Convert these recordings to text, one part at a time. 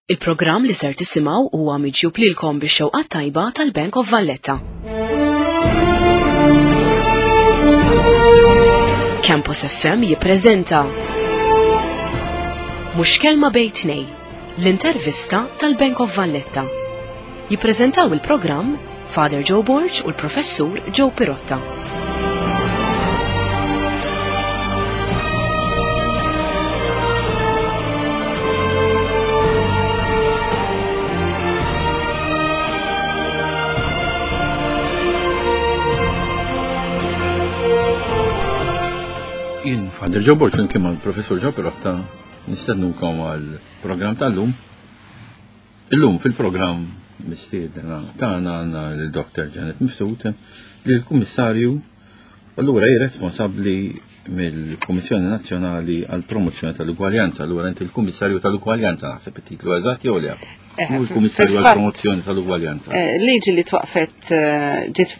Il-programm li ser tisimgħu huwa miġjub lilkom bix-xewqa tajba tal-Bank of Valletta. Campus FM jippreżenta Mhux kelma bejn tnej, l-intervista tal-Bank of Valletta. Jippreżentaw il-programm Father Joe Borg u l-Professur Joe Pirotta. Jien Father Joe Borg flimkien mal-Professur Joe Pirotta nistednukom għall-programm tal-lum. Illum fil-programm mistiedna tagħna għandna lil Dr. Janet Mifsud li l-Kummissarju allura hi responsabbli mill-Kummissjoni Nazzjonali għall Promozzjoni tal-Ugwaljanza. Allura inti l-Kummissarju tal-Ugwaljanza naħseb it-titlu eżatt jew le? Eh, l-Kummissarju għall Promozzjoni tal-Ugwaljanza. Eh, liġi li twaqfet eh, ġiet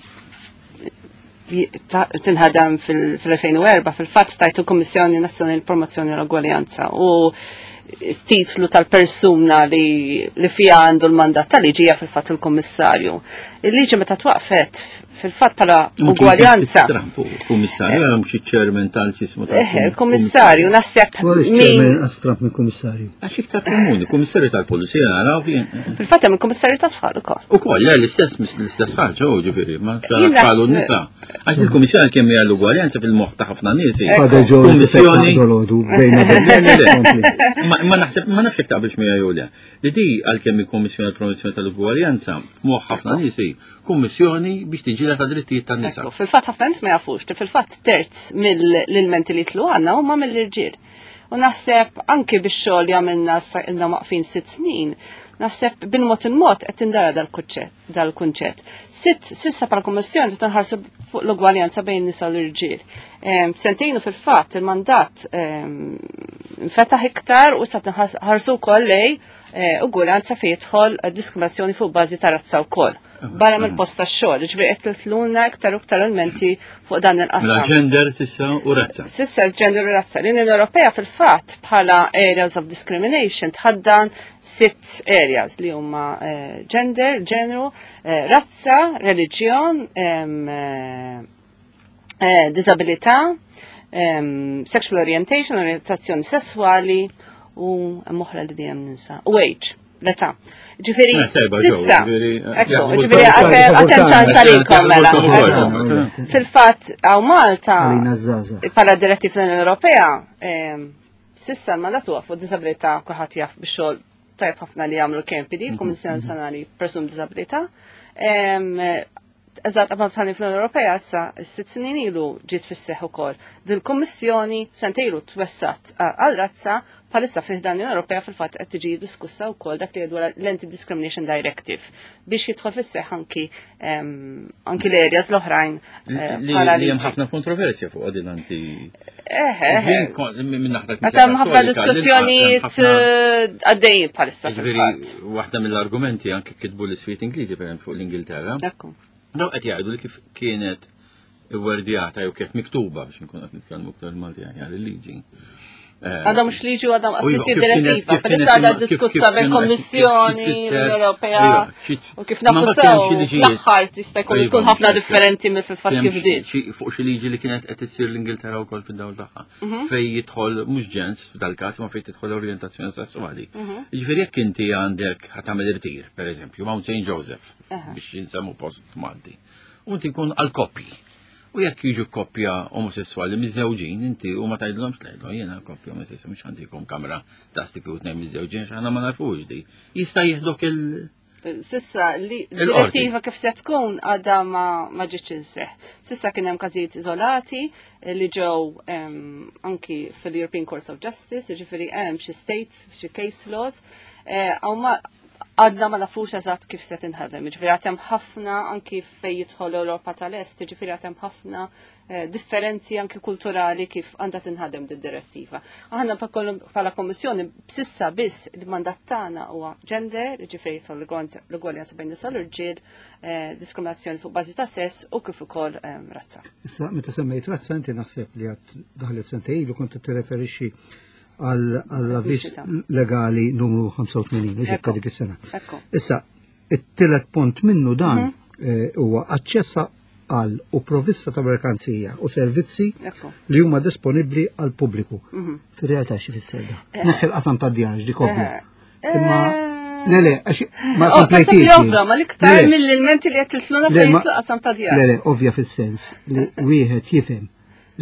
tinħadem fil-2004 fil-fatt tajt il-Kummissjoni Nazzjonali Promozzjoni l-Ugwaljanza u titlu tal-persuna li, li fija għandu l-mandat tal-liġi hija fil-fatt il-Kummissarju. Il-liġi meta twaqfet fil-fatt bħala ugwaljanza. Kummissarju, għal mhux iċ-chairman tal-ċismu tal Il-Kummissarju naħseb min. Astramp minn kummissarju. Għax iktar komuni, kummissarju tal-Pulizija naraw kien. Fil-fatt hemm il-Kummissarju tat-tfal ukoll. Ukoll, le l-istess l-istess ħaġa, u ġifieri, ma tfal u nisa. Għax il-Kummissjoni kemm hija l-ugwaljanza fil-moħħ ta' ħafna nies. Kummissjoni. Ma naħseb ma nafx jekk taqbilx miegħi jew le. Li di għalkemm il-Kummissjoni għall-Promozzjoni tal-Ugwaljanza f'moħħ ħafna nies hi kummissjoni biex tiġġieled għad-drittijiet tan-nisa. Fil-fatt ħafna nies ma jafux li fil-fatt terz mill-ilmenti li jitlu għandna huma mill-irġiel. U naħseb anki bix-xogħol li għamilna ilna waqfin sitt snin, naħseb bil-mod il-mod qed tindara dal-kunċett. Sitt sissa bħala kummissjoni qed nħarsu fuq l-ugwaljanza bejn nisa u l-irġiel. Sentejnu fil-fatt il-mandat nfetaħ iktar u sa nħarsu wkoll lej eh, ugwaljanza fejn jidħol diskriminazzjoni fuq bażi ta' razza wkoll barra mill-post tax-xogħol, ġifieri qed titluna iktar u iktar elementi fuq dan il-qasam. Mela gender sissa u razza. Sissa gender u razza. L-Unjoni Ewropea fil-fatt bħala areas of discrimination tħaddan sitt areas li huma eh, gender, ġeneru, eh, razza, reliġjon, eh, disabilità, sexual orientation, orientazzjoni sessuali u oħra li dejjem ninsa. U age l-età. Ġifieri, sissa, ekku, ġifieri għatem ċans għalikom mela. Fil-fatt, għaw Malta, bħala direttiv tal-Unjoni Ewropea, sissa l-mandat huwa fuq disabilità kulħadd jaf bix-xogħol tajb ħafna li jagħmlu KMPD, Kummissjoni Nazzjonali Persuni b'Disabilità. Eżatt qabel tħalli fl-Unjoni Ewropea issa sitt snin ilu ġiet fis-seħħ ukoll. Din il-Kummissjoni sentejlu twessat għal razza bħalissa fih dan l-Unjoni Ewropea fil-fatt qed tiġi diskussa wkoll dak li dwar l-Anti-Discrimination Directive biex jidħol fis-seħħ anki anki l-areas l-oħrajn. Eh, li hemm ħafna kontroversja fuq din anti. Eh, eh, Hemm ħafna diskussjonijiet għaddejjin bħalissa. Waħda mill-argumenti anke kitbu l-iswiet Ingliżi per fuq l-Ingilterra. Daw qed jgħidu li kif kienet iwwerdjata jew kif miktuba biex nkun qed nitkellmu iktar Malti aħjar il-liġi. Eh, għadha mhux liġi u għadha mhux isir direttiva, palissa għadha diskussa bil-Kommissjoni Ewropea u kif nafu sew l-aħħar tista' jkun tkun ħafna differenti mill fil-fatt kif bdiet. Fuq xi liġi li kienet qed issir l-Ingilterra wkoll fid-dawl tagħha. Mhm. Fej jidħol mhux ġens f'dal-każ ma fejn tidħol orjentazzjoni sessuali. Mhm. Jiġifieri jekk inti għandek ħa tagħmel irtir, pereżempju, Mount St. Joseph biex jinsemmu post Malti. U inti jkun għal koppji. U jekk jiġu koppja omosessuali miżewġin, inti u ma tgħidlhomx tgħidlhom jiena koppja omosessuali mhux għandikom kamra ta' stiki u tnejn miżewġin x'aħna ma nafux di. Jista' jieħdok il- Sissa li direttiva kif se tkun għadha ma ġietx inseħ. Sissa kien hemm każijiet iżolati li ġew anki fil-European Court of Justice, jiġifieri hemm xi state, xi case laws, eh, għadna ma nafux eżatt kif se tinħadem. Ġifieri għad hemm ħafna anki fejn jidħol l-Ewropa tal-Est, ġifieri għad hemm ħafna eh, differenzi anki kulturali kif għandha tinħadem din direttiva. Aħna bħala Kommissjoni b'sissa biss il-mandat tagħna huwa gender, ġifieri jidħol l-ugwaljanza bejn nisa l-irġiel, eh, diskriminazzjoni fuq bażi ta' sess u kif ukoll eh, razza. Issa meta semmejt razza inti naħseb li għad daħlet sentejn ilu kont tirreferixxi. għall-avviż legali numru 85 u ġibka dik is-sena. Issa, it-tielet punt minnu dan mhm. eh, huwa aċċessa għal u provvista ta' merkanzija u servizzi li huma disponibbli għal pubbliku. Mhm. Fir-realtà xi fisser da? Eh. Neħħi l-qasam ta' djar dik ovvja. Eh. Imma Le, le, għax ma oh, komplejtix. Ovvja, ma l-iktar mill-ilmenti li qed titluna fejn qasam ta' djar. Le, le, ovvja fis-sens li wieħed jifhem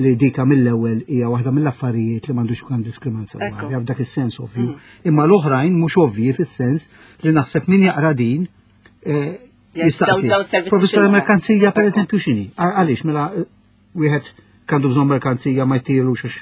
li dika mill-ewwel hija waħda mill-affarijiet li m'għandux ikun diskriminazzjoni. F'dak is-sens ovvju. Mm. Imma l-oħrajn mhux ovvji fis-sens li naħseb min jaqra din eh, jistaqsi. Provvista merkanzija per eżempju x'inhi? Għaliex mela eh, wieħed kandu bżonn merkanzija ma jtirux għax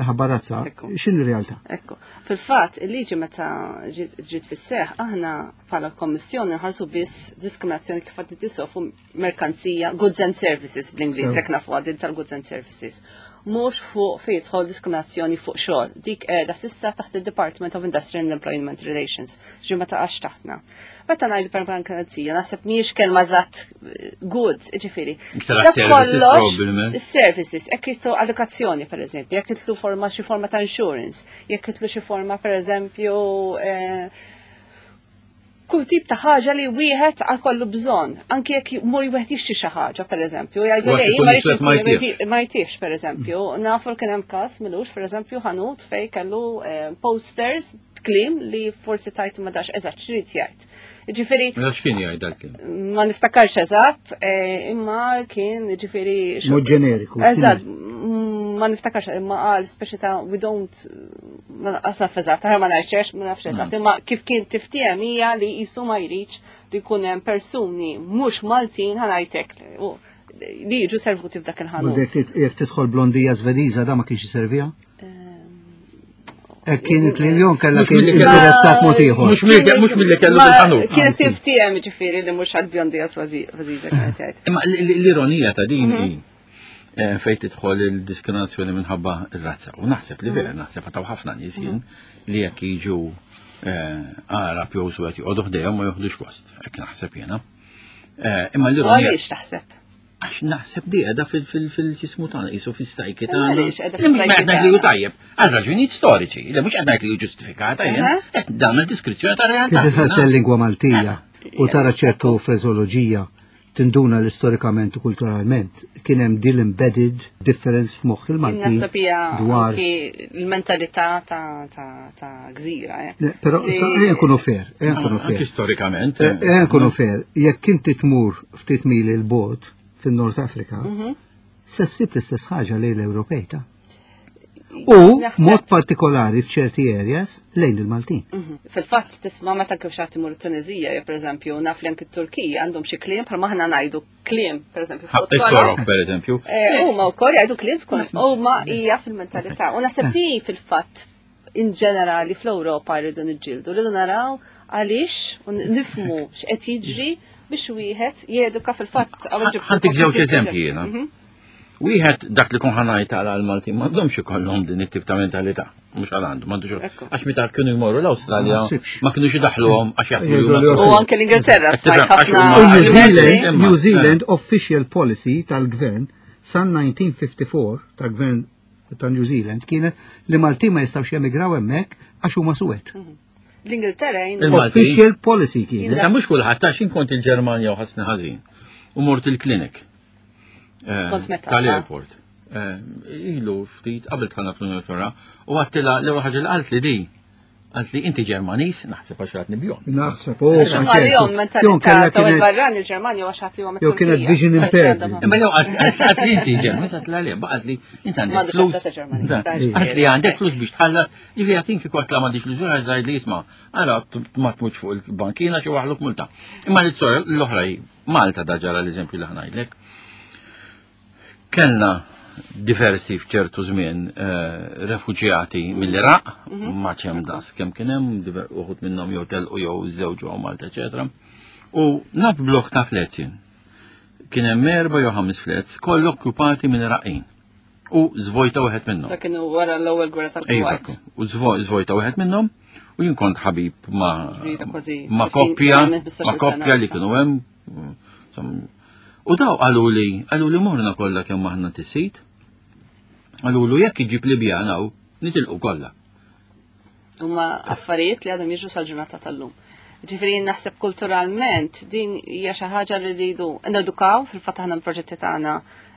ħabba razza, x'inhi realtà? Ekku. Fil-fatt, il-liġi meta ġiet fis-seħ, aħna bħala kommissjoni nħarsu biss diskriminazzjoni kif għad tisofu merkanzija, goods and services bl-Ingliż, jekk nafu għadin tal-goods and services. Mhux fuq fejn jidħol diskriminazzjoni fuq xogħol. Dik qiegħda sissa taħt il-Department of Industrial and Employment Relations, ġi ma taqax taħtna. Meta ngħidu per merkanzija, naħseb mhijiex kelma eżatt eh, goods, ġifieri. Services Services, jekk jitlu edukazzjoni per eżempju, jekk jitlu forma xi forma ta' insurance, jekk jitlu xi forma per eżempju eh, kull tip ta' ħaġa li wieħed għal kollu bżonn, anki jekk mur wieħed jixtri xi ħaġa pereżempju, jgħidu lej ma jtiex pereżempju, nafu li kien hemm każ milux pereżempju ħanut fej kellu eh, posters b'kliem li forsi tajt ma dax eżatt x'rid jgħid. Ġifieri. Mela x'kien jgħid dal-kliem? Ma niftakarx eżatt, eh, imma kien ġifieri. Mod ġeneriku. Eżatt, ma niftakarx imma qal speċi ta' we don't ma naqas naf eżatt, ma nafx ma nafx eżatt, mm. imma kif kien tiftiem hija li jisu ma jridx li jkun hemm persuni mhux Maltin ħanajtek li jiġu servuti f'dak il-ħanut. Jekk tidħol blondija Svediża da ma kienx jiservija? Ek kien il-klim kella kien interessat mod ieħor. Mhux milli kellu bil-ħanut. Kien tiftiem ġifieri li mhux għall-bjondija Svediża kienet jgħid. Imma l-ironija ta' din hi mhm. eh, fejn tidħol il-diskriminazzjoni minħabba r-razza. U naħseb li vera, mhm. naħseb għataw ħafna nies jien mhm. li jekk jiġu eh, Arab jew suwed joqogħdu ħdejhom ma joħdux gost, hekk naħseb jiena. Eh, imma l-ironija. Għaliex taħseb? Għax naħseb di qiegħda fil-ġismu tagħna, qisu fis-sajki tagħna. Għaliex qiegħda fis-sajki tagħna? Li hu tajjeb, għal raġunijiet storiċi, li mhux qed ngħid li hu ġustifikata jien, qed nagħmel diskrizzjoni ta' realtà. Kif tħares lingwa Maltija u tara ċertu freżoloġija tinduna li storikament u kulturalment kien hemm din embedded difference f'moħħ il-Malti. Naħseb hija dwar il-mentalità ta' gżira. Eh. Però ejja nkunu fair, ejja nkunu fair. Storikament. Eh, ejja nkunu fair, jekk inti tmur ftit mili l-bot fin-Nord Afrika, mhm. se ssib l-istess ħaġa lejn l-Ewropej ta' U mod partikolari f'ċerti areas lejn il-Maltin. Mhm. Fil-fatt tisma' meta kif xaħat imur Tunizija, jew pereżempju naf li anki t-Turkija għandhom xi kliem bħal maħna ngħidu kliem, pereżempju fuq it-torok pereżempju. Eh, huma wkoll jgħidu kliem tkun huma hija fil-mentalità. U naħseb li fil-fatt in ġenerali fl-Ewropa rridu niġġieldu, rridu naraw għaliex u nifmu x'qed jiġri biex wieħed jeduka fil-fatt. Ħantik żewġ eżempji jiena. Mhm. Wieħed dak li kun ħanajt għal għal-Maltin m'għandhomx ikollhom din it-tip ta' mentalità, mhux għal għandu, m'għandux. Għax meta kienu jmorru l-Awstralja ma kienux idaħluhom għax jaħsbu U anke l-Ingilterra smajt ħafna. New Zealand official policy tal-gvern san 1954 tal-gvern ta' New Zealand kienet li Maltin ma jistgħux jemigraw hemmhekk għax huma suwed. Mhm. L-Ingilterra Official policy kienet. Issa mhux kulħadd għax inkont il-Ġermanja u ħassni ħażin. U mort il-klinik. Eh, tal-airport. Eh, ilu ftit qabel tħanna fl-Unjoni Ewropea u għattila l-ewwel ħaġa li qalt li di Għalt li inti Ġermanis, naħseb għax ratni bjon. Naħseb, oh, Għal-jom mentalità ta' il-barrani il-Ġermanja għax għat li għom. Jew kienet vision impaired. Imma jew għalt li inti Ġermanis, għalt li għalt li inti għandek flus. Għalt li għandek flus biex tħallas, ġifi għatin kieku għat la m'għandix flus, għalt li jisma' għara ma tmutx fuq il-bankina xi waħluk multa. Imma li t l-oħra Malta da ġara l-eżempju li ħnajdlek. Kellna diversi f'ċertu żmien eh, refuġjati mill-Iraq, mhm. ma ċem das kemm kien hemm uħud minnhom jew telqu jew żewġu għaw Malta, eċetera. U naf blok ta' flets jien. Kien hemm erba' jew ħames flets kollu okkupati minn Iraqin. U żvojta wieħed minnhom. Dak kienu wara l-ewwel gwerra tal-Kuwait. U żvojta wieħed minnhom u jien kont ħabib ma' ma' koppja, ma' koppja li kienu hemm U daw qalu li, qalu li morna kollha kemm aħna tisit. Qalu lu jekk iġib Libjan hawn, nitilqu kollha. Huma affarijiet li għadhom jiġru sal-ġurnata tal-lum. Ġifieri naħseb kulturalment din hija xi ħaġa li rridu nedukaw fil-fatt aħna l-proġetti tagħna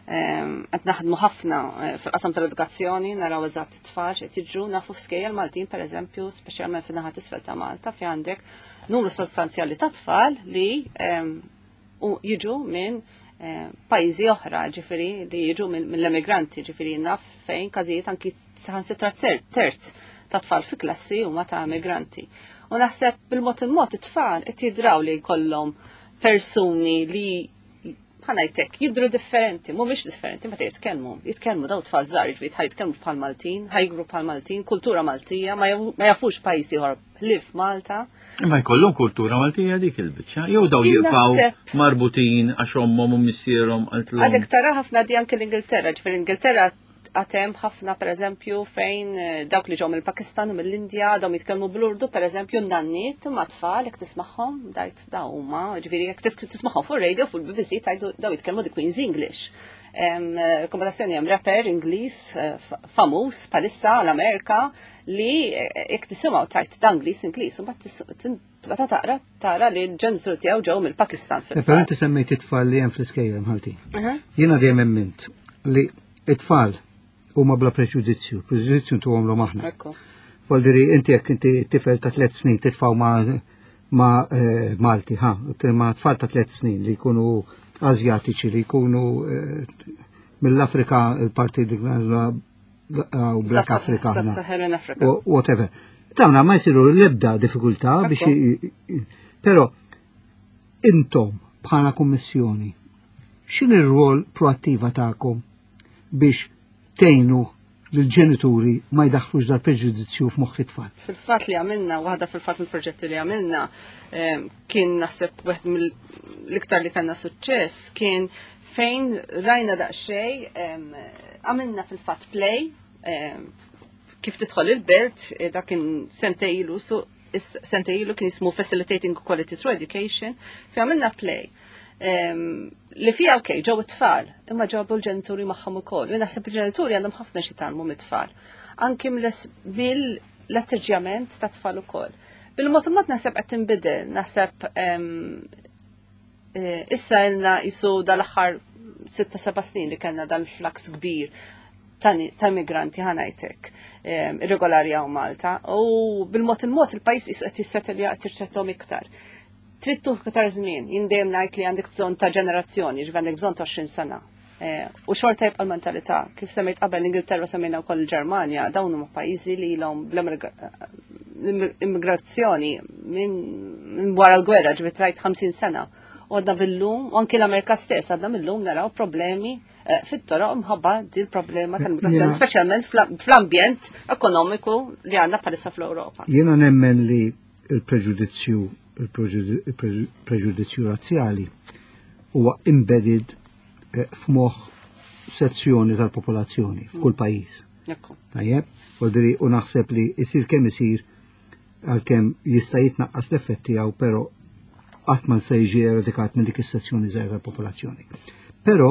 qed naħdmu ħafna fil-qasam tal-edukazzjoni, naraw eżatt it-tfal x'qed jiġru, nafu f'skejjel Maltin pereżempju, speċjalment fin-naħa t'isfel ta' Malta fi għandek numru sostanzjali ta' tfal li u jiġu minn pajjiżi oħra, ġifieri li jiġu mill-emigranti, ġifieri naf fejn każijiet anki saħansitra terz ta' tfal fi klassi huma ta' emigranti. U naħseb bil-mod il-mod it-tfal qed jidraw li jkollhom persuni li ħanajtek jidru differenti, mhumiex differenti meta jitkellmu. Jitkellmu daw tfal żgħar, jiġifieri ħa jitkellmu bħal Maltin, ħajgru bħal Maltin, kultura Maltija, ma jafux pajjiż ieħor ħlief Malta. Imma jkollhom kultura Maltija dik il-biċċa, jew daw jibqgħu marbutin għax ommhom u missierhom qaltlhom. Għadek tara ħafna di anke l-Ingilterra, ġifieri l-Ingilterra għatem ħafna per eżempju fejn dawk li ġew mill-Pakistan u mill-Indja dawn jitkellmu bl-Urdu per eżempju n-nanniet ma tfal jekk tismagħhom dajt daw huma, ġifieri jekk tismagħhom fuq radio fuq il-BBC tajdu daw jitkellmu the Queen's English. Kombinazzjoni hemm rapper Ingliż famuż bħalissa l-Amerika li jekk tisimgħu tajt da Ingliż Ingliż u mbagħad meta taqra tara li l-ġenitur tiegħu ġew mill-Pakistan. Però inti semmejt it-tfal li hemm fl-iskejjel Malti. Jiena dejjem emmint li it-tfal huma bla preġudizzju, preġudizzju ntuhom l aħna. Voldiri inti jekk inti tifel ta' tliet snin titfgħu ma' Malti, ha, ma' tfal ta' tliet snin li jkunu Azjatiċi li jkunu mill-Afrika il-parti u Black Africa. Sub-Saharan Africa. Whatever. Dawna ma jsiru l-ebda diffikultà biex però intom bħala kummissjoni x'in ir-rwol proattiva tagħkom biex tgħinu lill-ġenituri ma jdaħħlux dal preġudizzju f'moħħ it-tfal? Fil-fatt li għamilna, waħda fil-fatt mill-proġetti li għamilna, kien naħseb wieħed mill-iktar li kellna suċċess kien fejn rajna daqsxejn għamilna fil-fatt play kif tidħol il-belt, dak kien sentejn ilu, sentejn ilu kien jismu Facilitating Equality Through Education, fi għamilna play. Li fija ok, ġew it-tfal, imma ġabu l-ġenituri magħhom ukoll. Jien naħseb il-ġenituri għandhom ħafna xi jitgħallmu mit-tfal. Anki mill-atteġġjament ta' tfal ukoll. Bil-mod il-mod naħseb qed tinbidel, naħseb issa ilna jisu dal-aħħar 6-7 snin li kellna dal-flux kbir ta' immigranti ħanajtek irregolari hawn Malta u bil-mod il-mod il-pajjiż qed jissettelja qed jirċettom iktar. Trid tuħ iktar żmien, jien dejjem ngħid li għandek bżonn ta' ġenerazzjoni, ġifieri għandek bżonn ta' 20 sena. U xorta jibqa' l-mentalità, kif semmejt qabel l-Ingilterra semmejna wkoll il-Ġermanja, dawn huma pajjiżi li ilhom bl-immigrazzjoni minn wara l-gwerra, ġifieri trajt 50 sena. U għadna bil-lum, u anki l-Amerika stess, għadna mill-lum naraw problemi fit-toroq mħabba din problema tal-immigrazzjoni, speċjalment fl-ambjent ekonomiku li għandna bħalissa fl-Ewropa. Jiena nemmen li il-preġudizzju il-preġudizzju razzjali huwa embedded f'moħħ sezzjoni tal-popolazzjoni f'kull pajjiż. Tajjeb, u naħseb li jsir kemm isir għalkemm jista' jitnaqqas l-effett tiegħu, però qatt ma se jiġi eradikat minn dik is-sezzjoni żgħira tal-popolazzjoni. Però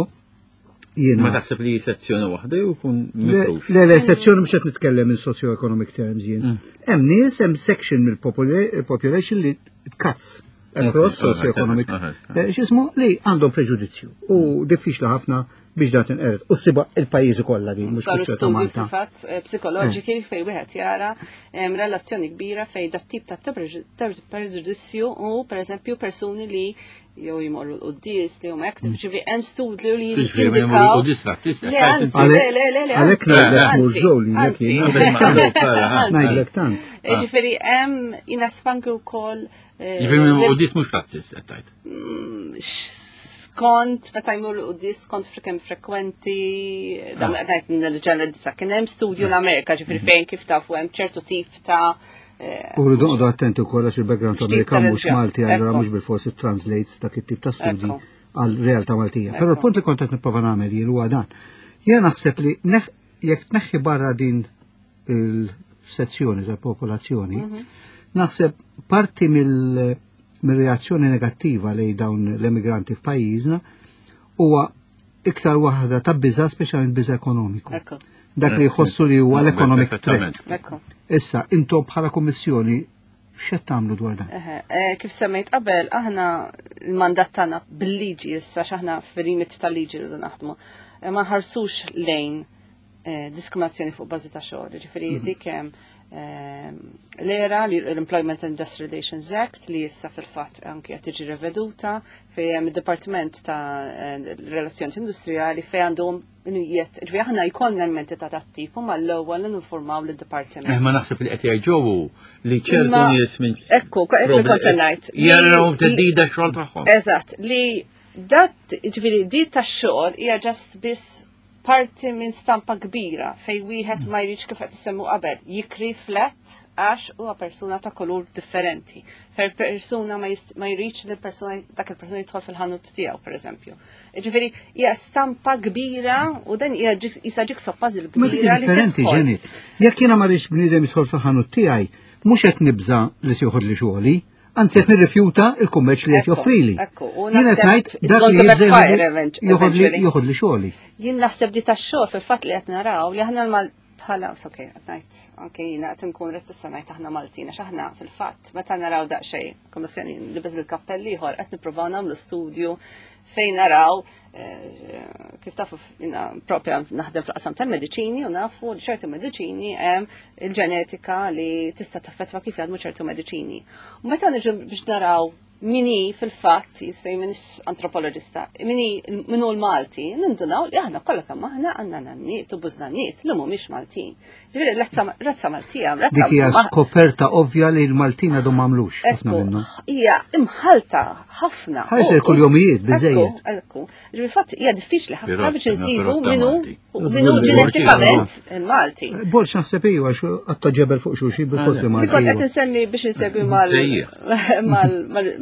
jiena Ma taħseb li sezzjoni waħda jew jkun mifrux? Le, le, sezzjoni mhux qed nitkellem in socio-economic terms jien. Hemm nies, hemm section mill-population li cuts across socio-economic, x'ismu li għandhom preġudizzju u diffiċli ħafna biex dan tinqered. U ssiba il-pajjiżi kollha din, mhux Saru kwistjoni ta' studji Malta. fil-fatt psikoloġiki fejn wieħed jara relazzjoni kbira fejn dat tip ta' preġudizzju u pereżempju persuni li jew jmorru l-quddies li huma active, ġifieri hemm studju li Ġifieri jmorru jindikaw l-quddies razzist, Le, qed anzi, tgħid. le, le, le, le, Għalhekk anzi, ngħidlek anzi, mhux ġew li anzi. jien. Ngħidlek tant. Ġifieri hemm jinasfanki wkoll, Ġifieri jmorru l-quddies mhux razzist qed tgħid. Skont meta jmur l-quddies, skont kemm frekwenti, dan qed ngħid nil-ġenera kien hemm studju l-Amerika, ġifieri fejn kif tafu hemm ċertu tip ta' U rridu noqogħdu attenti wkoll għax il-background X'tip ta' Amerikan mhux reliġjon? Malti, allura Ekku. mhux bil-forsi translates dak it-tip ta' studji Ekku. għal realtà Maltija. Però Ekku. l-punt li kont qed nipprova nagħmel jien huwa dan. Jien naħseb li jekk tneħħi barra din il-sezzjoni tal-popolazzjoni, naħseb parti mill-reazzjoni negattiva lejn dawn l-emigranti f'pajjiżna huwa iktar waħda ta' biża', speċjalment biża' ekonomiku. Ekku. dak li jħossu li huwa l-economic threat. Issa, intom bħala kummissjoni x'qed tagħmlu dwar dan? Eh, kif semmejt qabel, aħna l-mandat tagħna bil-liġi issa x'aħna fil-limit tal-liġi rridu naħdmu. Eh, ma ħarsux lejn eh, diskriminazzjoni fuq bażi ta' xogħol, ġifieri mhm. dik hemm l-era l-Employment and Industrial Relations Act li issa fil-fatt anki qed tiġi reveduta fejn hemm id-Dipartiment ta' Relazzjoni Industrijali fejn għandhom Jiet, ġvi aħna jkollna l-menti ta' tat-tip u mal-ewwel ninformaw lid-dipartiment. Eh, ma naħseb li qed jgħid li ċertu nies minn. Ekku, ekku kont se ngħid. Jaraw teddida x-xogħol tagħhom. Eżatt, li dat, ġifieri di tax-xogħol hija ġast biss parti minn stampa kbira fej wieħed ma jridx kif qed isemmu qabel jikri flat għax huwa persuna ta' kulur differenti. Fer persuna ma jridx li persuna dak il-persuna jidħol fil-ħanut tiegħu pereżempju. Ġifieri hija stampa kbira u dan hija jisa jigsaw puzzle kbira. Differenti ġenit. Jekk jiena ma rridx bniedem jidħol fil-ħanut tiegħi, mhux qed nibża li se joħodli xogħli, anzi qed nirrifjuta il-kummerċ li qed joffrili. Jien qed ngħid dak li jibża joħodli xogħli. Jien naħseb di tax-xogħol fil-fatt li qed naraw li aħna bħala, ok, qed ngħid, anke jiena qed nkun rettissa ngħid aħna Maltin għax aħna fil-fatt meta naraw daqsxejn, kommissjoni nlibes il-kappell ieħor qed nippruvaw nagħmlu studju fejn naraw eh, kif tafu jina propja naħdem fl-qasam tal-mediċini u nafu li ċertu mediċini hemm il-ġenetika li tista' taffettwa kif jaħdmu ċertu mediċini. U meta niġu biex naraw mini fil-fatt, jissej minn antropologista, mini minnu l-Malti, nindunaw li aħna kollha kemm aħna għandna nanniet u bużnanniet li mhumiex Maltin. Ġifieri razza Maltija, razza Dik hija skoperta ovvja li l-Maltin għadhom m'għamlux ħafna minnhom. Hija imħalta ħafna. Ħajsir kull jomijiet biżejjed. Ekku, ġifieri fatt hija diffiċli ħafna biex insibu minnu minnu ġenetikament il-Malti. Borx naħseb iju għax għatta ġebel fuq xulxin bil-fors li Malti. Kont qed insemmi biex insegwi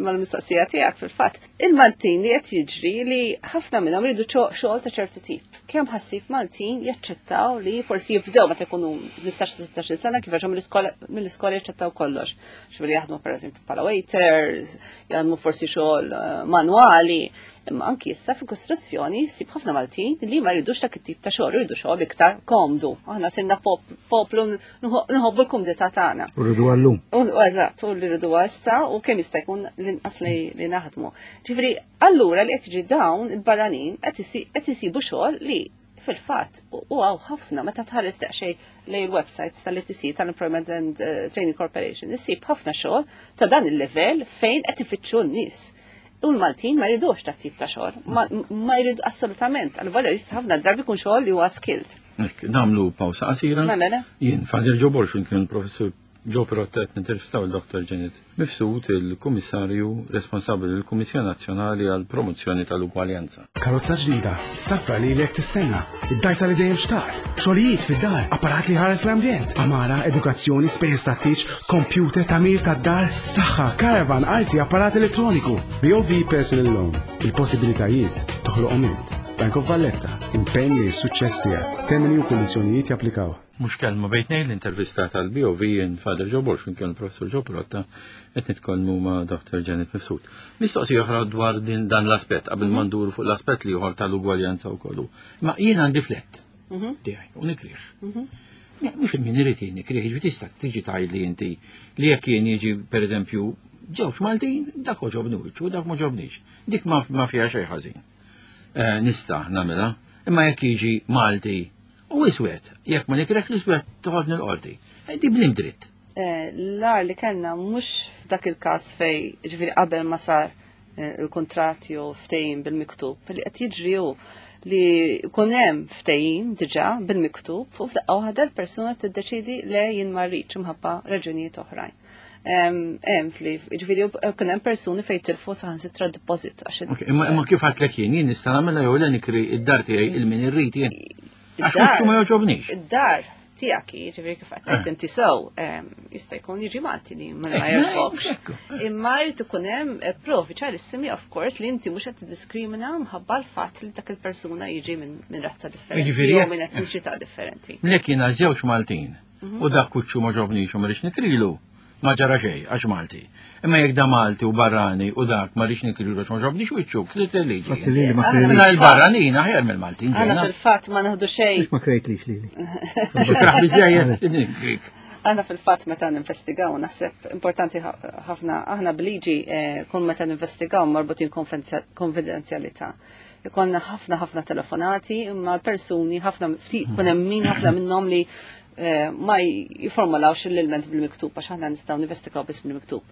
mal-mistoqsija tiegħek fil-fatt. Il-Maltin li qed jiġri li ħafna minnhom ridu xogħol ta' ċertu tip. Kemm ħassib Maltin jaċċettaw li forsi jibdew meta jkunu 15-16 sena kif ġew mill-iskola jaċċettaw kollox. X'veri jaħdmu pereżempju bħala waiters, jaħdmu forsi xogħol eh, manwali. Imma anki issa fi kostruzzjoni ssib ħafna Maltin li ma jridux dak it-tip ta' xogħol, jridu xogħol iktar komdu. Aħna sirna poplu nħobbu l-kumdità tagħna. U rridu għallum. U eżatt, u li rridu issa u kemm jista' jkun l-inqas li naħdmu. Ġifieri, allura li qed jiġi dawn il-barranin qed isibu xogħol li fil-fatt u għaw ħafna meta tħares daqsxejn lejn il-website tal-ETC tal-Employment and eh, Training Corporation, issib ħafna xogħol ta' dan il-level fejn qed ifittxu n-nies. U l-Maltin ma jridux ta' tip ta' xogħol, ma jridu assolutament, għal volja jista' ħafna drabi jkun xogħol li huwa skilled. Hekk, nagħmlu pawsa qasira. Mela, mela. Jien Father Joe Borg kien professur Joe Pirotta qed nintervistaw il-Dr. Janet Mifsud, il-Kummissarju responsabbli lill-Kummissjoni Nazzjonali għall-Promozzjoni tal-Ugwaljanza. Karozza ġdida, safra li lek tistenna, id-dajsa li dejjem xtaqt, xogħlijiet fid-dar, apparat li ħares l-ambjent, amara, edukazzjoni, spejjeż tat-tieġ, computer, tagħmir tad-dar, saħħa, caravan, arti, apparat elettroniku. BOV Personal Loan, il-possibilitajiet toħloqhom int. Bank of Valletta, impenn li s-suċċess tiegħek. Termini u kundizzjonijiet japplikaw. Mhux kelma bejn tnejn l-intervista tal-BOV jien Father Joe Borg kien il-Professur Joe Pirotta qed nitkellmu ma' Dr. Janet Mifsud. Mistoqsija oħra dwar din dan l-aspett qabel ma nduru fuq l-aspett li ieħor tal-ugwaljanza wkoll. Ma jien għandi flett mhm. tiegħi u nikrih. Mhm. Mhux min irid jien nikrih, jiġri tista' tiġi tgħidli inti li jekk jien jiġi pereżempju ġewx Maltin, dak oġobni wiċċu, dak ma ġobnix. Dik ma fiha xejn ħażin. Eh, nista' nagħmilha, imma jekk jiġi Malti u iswed, jekk ma nikrek l-iswed toħodni l-qorti. Eh, di blim dritt. Eh, l-ar li kellna mhux f'dak il-każ fej ġifieri qabel ma sar il-kuntratt jew ftehim bil-miktub, li qed jiġri hu li jkun hemm ftehim diġà bil-miktub u f'daqqa waħda l-persuna tiddeċidi le jien ma rridx imħabba raġunijiet oħrajn. Hemm fli, ġifieri kien hemm persuni fejn tilfu saħansitra deposit għax. Imma kif għadtlek jien, jien nista' nagħmilha jew le nikri id-dar tiegħi il min irrid jien. Għax wiċċu ma jogħġobnix. Id-dar tiegħek, jiġifieri kif qed tgħid inti sew, jista' jkun jiġi Malti li ma jogħġbokx. Imma jrid ikun hemm eh, provi ċarissimi of course li inti mhux qed tiddiskrimina mħabba l-fatt li dak il-persuna jiġi minn razza differenti jew minn etniċità differenti. Lek jiena żewġ Maltin mhm. u dak kuċċu ma ġobnix u ma rridx nikrilu. Ma ġara xejn għax Malti. Imma jekk da Malti u barrani u dak ma rridx nikrilu għax ma ġobniex wiċċu, ksirt il-liġi. Fatti lili ma Aħna krejtlix. Mela il-barranin aħjar mill-Maltin. Aħna ġejna. fil-fatt ma naħdu xejn. Mhux ma krejtlix lili. Xikraħ biżejjed nikrik. Aħna fil-fatt meta ninvestigaw naħseb importanti ħafna aħna bliġi kun meta ninvestigaw marbutin konfidenzjalità. Ikonna ħafna ħafna telefonati imma l-persuni ħafna ftit kun hemm min ħafna minnhom li ma jiformulawx l-ilment bil-miktub għax aħna nistgħu ninvestigaw biss bil-miktub.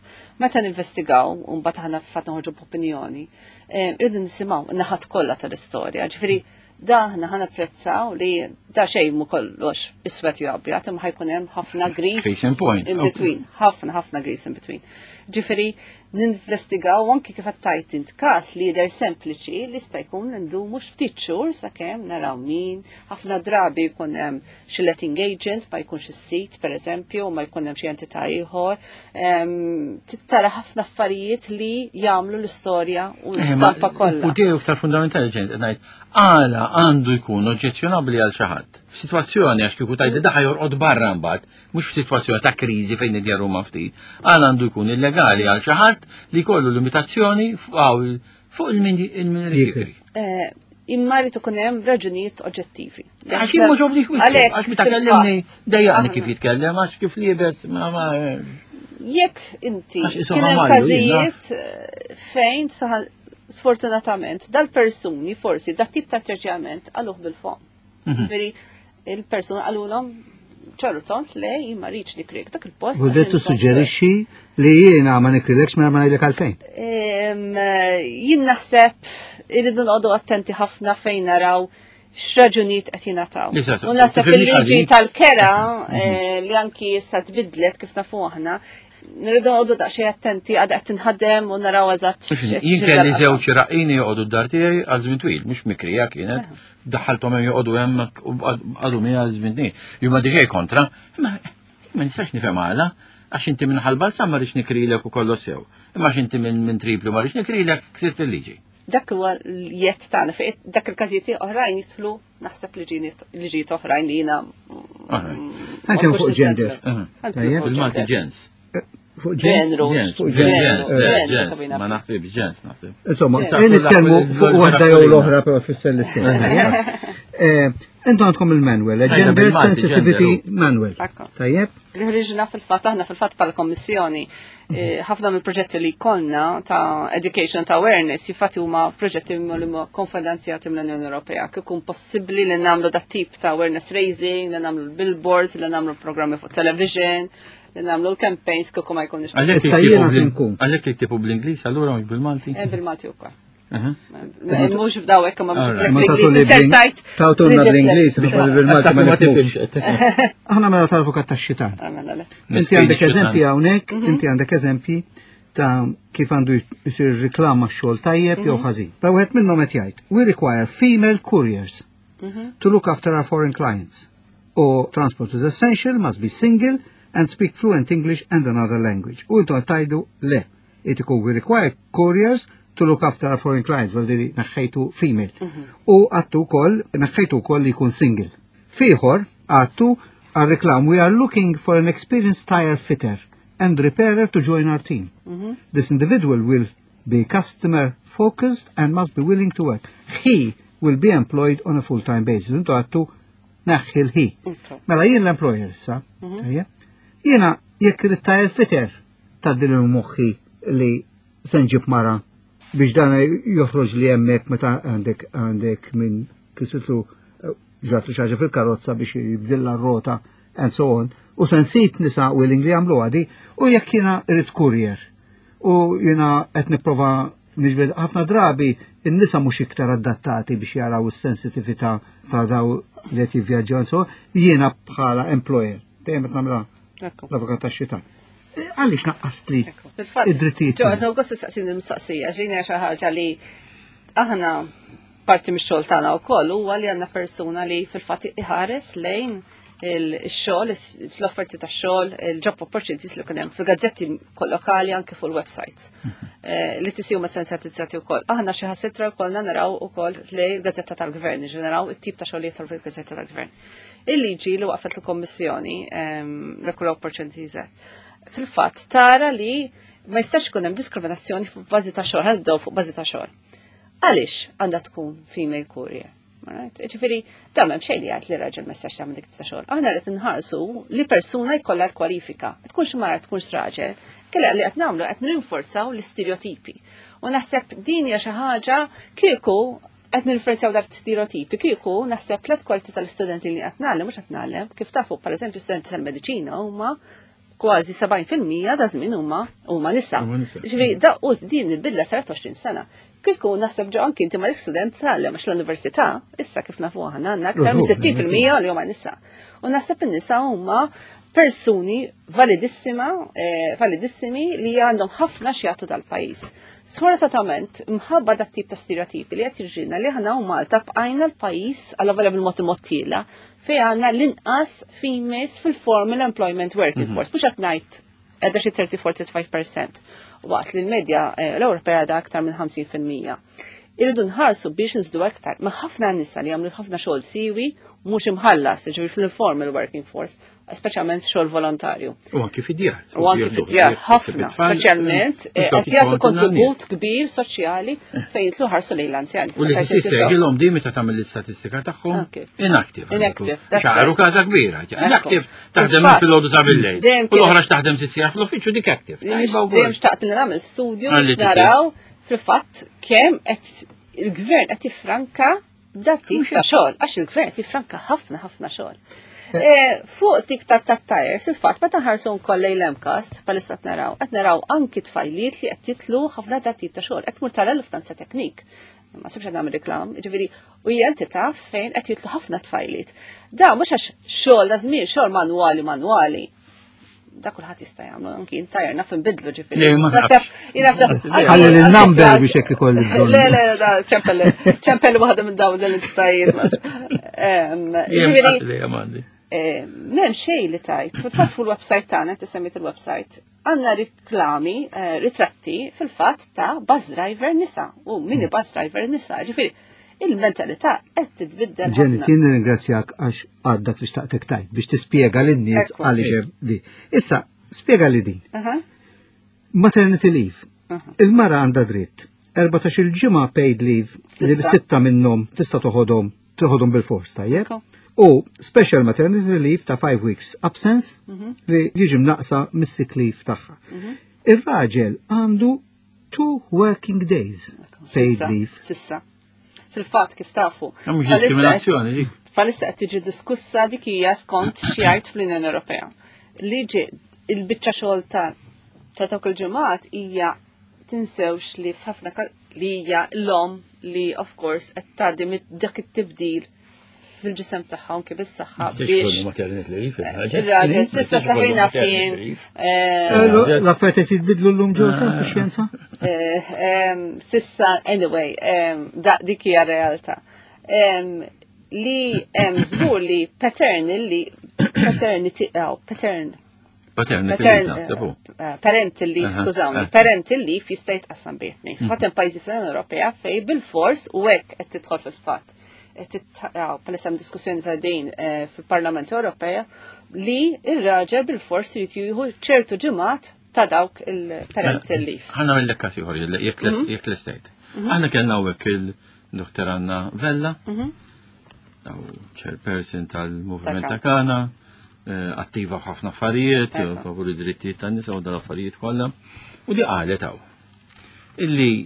Meta ninvestigaw u mbagħad aħna fatt noħorġu b'opinjoni, irridu nisimgħu n-naħat kollha tal-istorja. Ġifieri da aħna ħa napprezzaw li da xejn mu kollox iswed jew abjad, imma ħajkun hemm ħafna gris Case in point. in between, ħafna ħafna gris in between. Ġifieri ninvestigaw anki kif qed tajt int każ li jidher sempliċi li jista' jkun ndumu ftit xhur sakemm naraw min, ħafna drabi jkun hemm xi letting agent ma jkunx is-sit pereżempju, ma jkun hemm xi entità ieħor. Tara ħafna affarijiet li jagħmlu l-istorja u l-istampa kollha. U tiegħu iktar fundamentali ġejn qed ngħid, għala għandu jkun oġġezzjonabbli għal xi ħadd. F'sitwazzjoni għax kieku tgħidli daħ jorqod barra mbagħad, mhux f'sitwazzjoni ta' kriżi fejn id-djar huma ftit, għala għandu jkun illegali għal xi ħadd li jkollu limitazzjoni fuq il-min jikri. Imma rrid ikun hemm raġunijiet oġġettivi. Għax jien mhux obbligu wiċċu, Għalhekk, għax meta kellimni fil-fatt, dejjaqni aħna- kif jitkellem, għax kif liebes ma ma Jekk inti Għax isom kien hemm għamalju, jien każijiet fejn sfortunatament dal-persuni forsi dat tip ta' atteġġjament għaluh bil-fom. Ġifieri il-persuna qalulhom ċaru tont le jien ma rridx nikrik dak il-post. U dettu suġġerixxi li jiena ma nikrilekx mela ma ngħidlek għalfejn. Jien naħseb irridu noqogħdu attenti ħafna fejn naraw x'raġunijiet qed jingħataw. Li sa- U naħseb tifhimni il-liġi ħażin. tal-kera li anki issa tbidlet kif nafu aħna, nirridu noqogħdu daqsxejn attenti għadha qed tinħadem u naraw eżatt Jien kelli żewġ raqini joqogħdu d-dar tiegħi għal żmien twil, mhux mikrija kienet, daħħalthom hemm joqogħdu hemm u għadu miegħi għal żmien twil. Jien ma diġej kontra, imma ma nistax nifhem għala, għax inti minn ħalbalza ma rridx nikrilek u kollox sew. Imma għax inti minn Tripli ma rridx nikrilek ksirt il-liġi. Dak huwa l-jett tagħna fejn dak il-każijiet oħrajn jidħlu naħseb liġijiet oħrajn li jiena Anke fuq gender. Tajjeb. Bil-Malti ġens. Fuq ġens. Ġenru. Ġens, Fuq ġens, ġenru. ġens, Sabina. ma naħsibx ġens naħseb. Insomma, Ġens. nitkellmu fuq waħda jew l-oħra però fisser l-istess. Intom għandkom il-manual, Ejja, Gender bil-Malti, Sensitivity gender. Manual. Ekku. Tajjeb? Li ħriġna fil-fatt, aħna fil-fatt bħala kommissjoni, ħafna mill-proġetti li konna ta' education ta' awareness, jifatti huma proġetti li huma konfinanzjati mill-Unjoni Ewropea. Kif ikun possibbli li nagħmlu dat tip ta' awareness raising, li nagħmlu l-billboards, li nagħmlu programmi fuq television, li nagħmlu l-campaigns kieku ma jkunx. Għalhekk Issa jiktibu jiena se nkun. Għalhekk jiktibu bl-Ingliż allura mhux bil-Malti. Bil-Malti wkoll. Aha. Mhux b'daw hekk imma mhux Alright. Ma tagħtu li bl-Ingliż. Insertajt. Tawtuna bl-Ingliż, biex bil-Malti ma Ma nifhmux. tifhimx. Aħna mela tal-avukat tax-xitan. Mela le. Inti għandek eżempji hawnhekk, inti għandek eżempji ta' kif għandu jsir riklama xogħol tajjeb jew ħażin. Ta' wieħed minnhom qed jgħid, we require female couriers to look after our foreign clients. Or transport is essential, must be single and speak fluent English and another language. U intom tajdu le. Itiku we require couriers to look after our foreign clients, vuol dire naħħejtu female. U għattu kol, naħħejtu kol li jkun single. Fiħor, għattu għal-reklam, we are looking for an experienced tire fitter and repairer to join our team. This individual will be customer focused and must be willing to work. He will be employed on a full-time basis. Intu għattu naħħi l-he. Mela jien l-employer issa, tajjeb? Jiena jekk irid tire fitter tgħaddili moħħi li se nġib mara biex dan joħroġ li hemmhekk meta għandek għandek minn kisitlu ġatlu xi ħaġa fil-karozza biex jibdilla r-rota and so on. U se nsib nisa willing li jagħmlu għadi u jekk jiena irid courier u jiena qed nipprova niġbed ħafna drabi in-nisa mhux iktar adattati biex jaraw is-sensitività ta' daw li qed jivvjaġġaw and so on, jiena bħala employer dejjem qed nagħmilha Ekku. l-avukat tax-xitan. Għaliex naqqast li Fil-fatt, id-drittijiet? Ġo, għadna għost saqsin il-mistoqsija, ġini xi ħaġa li aħna parti mix-xogħol tagħna wkoll huwa li għandna persuna li fil-fatt iħares lejn il-xogħol, l-offerti ta' xogħol, il-job opportunities li kien hemm fil-gazzetti lokali anke fuq il-websites. Li tisiw ma sensitizzati wkoll. Aħna xi ħasitra wkoll naraw ukoll lej il-gazzetta tal-gvern, ġi naraw it-tip ta' xogħlijiet tal-gazzetta tal-gvern. Il-liġi li waqfet l-Kommissjoni, l-Equal Opportunities Act, fil-fatt tara li ma jistax ikun hemm diskriminazzjoni fuq bażi ta' xogħol, ħaddew fuq bażi ta' xogħol. Għaliex għandha tkun female courier? Ġifieri, da m'hemm xejn li jgħid li raġel ma jistax jagħmel dik ta' xogħol. Aħna qed inħarsu li persuna jkollha l-kwalifika. Tkunx mara tkunx raġel. Kella li qed nagħmlu qed nrinforzaw l-istereotipi. U naħseb din hija xi ħaġa kieku qed nirreferenzjaw dak stereotipi kieku naħseb tlet kwarti tal-istudenti li qed nagħlem mhux qed nagħlem, kif tafu pereżempju studenti tal-mediċina huma kważi 70% da żmien huma huma nisa. Ġifieri da u din il-bidla saret 20 sena. Kieku naħseb ġo anki inti ma student tgħallem għax l-università, issa kif nafu aħna għandna aktar minn 60% li huma nisa. U naħseb in-nisa huma persuni validissima, eh, validissimi li għandhom ħafna xjatu tal-pajjiż. Sfortunatament, mħabba dak tip ta' stereotipi li qed jiġrilna li aħna u Malta bqajna l-pajjiż għal volja bil-mod imod tiela fej għandna l-inqas females fil-formal employment working mhm. force. Mhux qed ngħid qiegħda xi 34-35%. Waqt li l-medja eh, l-Ewropea da aktar minn 50%. Irridu nħarsu biex nżdu aktar. Ma ħafna nisa li jagħmlu ħafna xogħol siwi mhux imħallas, ġifieri fil-formal working force, speċjalment xogħol volontarju. U anki fid-djar. U anki fid-djar, ħafna, speċjalment eh, qed jagħtu kontribut kbir soċjali fejn jitlu ħarsu lejn l-anzjani. U li tissegilhom di meta tagħmel l-istatistika tagħhom inactive. Inactive. Xaru każa kbira. Inactive taħdem minn filgħodu sa bil-lejl. U l-oħra x'taħdem sitt sigħat fl-uffiċċju dik active. Dejjem xtaqt li nagħmel studju naraw fil-fatt kemm qed il-gvern qed jiffranka dak tip ta' xogħol, għax il-gvern qed jiffranka ħafna ħafna xogħol. Eh. eh, fuq tik ta' ta' tires, il-fatt meta nħarsu nkoll lejn l-MCAST, palissa qed naraw, qed naraw anki tfajliet li qed jitlu ħafna ta' tip ta' xogħol, qed tmur tara l-Lufthansa Teknik. Ma sibx qed nagħmel reklam, jiġifieri u hija entità fejn qed jitlu ħafna tfajliet. Da mhux għax xogħol da żmien xogħol manwali manwali da kulħadd jista' jagħmlu anki intajer naf inbidlu ġifieri. Naħseb naħseb Ħalli l-number biex hekk ikolli bżonn. Le le da ċempel ċempel waħda minn dawn l-entitajiet. Ġifieri M'hemm xejn li tajt. Fil-fatt fuq il-website tagħna tisemmit il-website għandna riklami, eh, ritratti fil-fatt ta' bus driver nisa u mini bus driver nisa. Ġifieri il-mentalità qed titbiddel. Ġeni, kien nirringrazzjak għax għad dak li xtaqtek tajt biex tispjega lin-nies għaliex hemm di. Issa, spjega li din. Maternity leave. Il-mara għandha dritt. 14 il-ġimgħa paid leave li sitta minnhom tista' toħodhom toħodhom bil-fors tajjeb. U special maternity leave ta' 5 weeks absence mhm. li jiġi mnaqsa mis-sick leave tagħha. Mhm. Ir-raġel għandu two working days paid leave. Sissa. Fil-fatt kif tafu. Mhux diskriminazzjoni dik. Palissa qed tiġi diskussa dik hija skont xi jgħid fl-Unjoni Ewropea. Liġi il-biċċa xogħol ta' ta' dawk il-ġimgħat hija tinsewx li f'ħafna li hija l-om li of course qed tgħaddi dak it-tibdil fil-ġisem tagħha anke bis-saħħa biex. Ir-raġel s'issa saħina fien. Eh, eh, l-affarijiet qed jitbidlu llum ġewwa ah. fix-xjenza? Eh, sissa anyway, dik hija realtà. Li hemm żgur li paternal li paternity patern Paternity Parental leave, skużawni, parental leave jista' jitqassam bejn tnejn. Mhm. Fatt hemm pajjiżi fl-Unjoni Ewropea fej bil-fors u hekk qed tidħol fil-fatt. Palissa hemm diskussjoni ta' din eh, fil-Parlament Ewropea li ir-raġel bil-fors irid jieħu ċertu ġimgħat ta' dawk il-parental mela, leave. Ħanna mill kas ieħor jekk mhm. l-estate. Mhm. Aħna kellna hawnhekk il-Dr. Anna Vella, chairperson tal-Movement ta' Kana, eh, attiva f'ħafna affarijiet, favur id-drittijiet tan-nisa u dal-affarijiet kollha. U di qalet hawn illi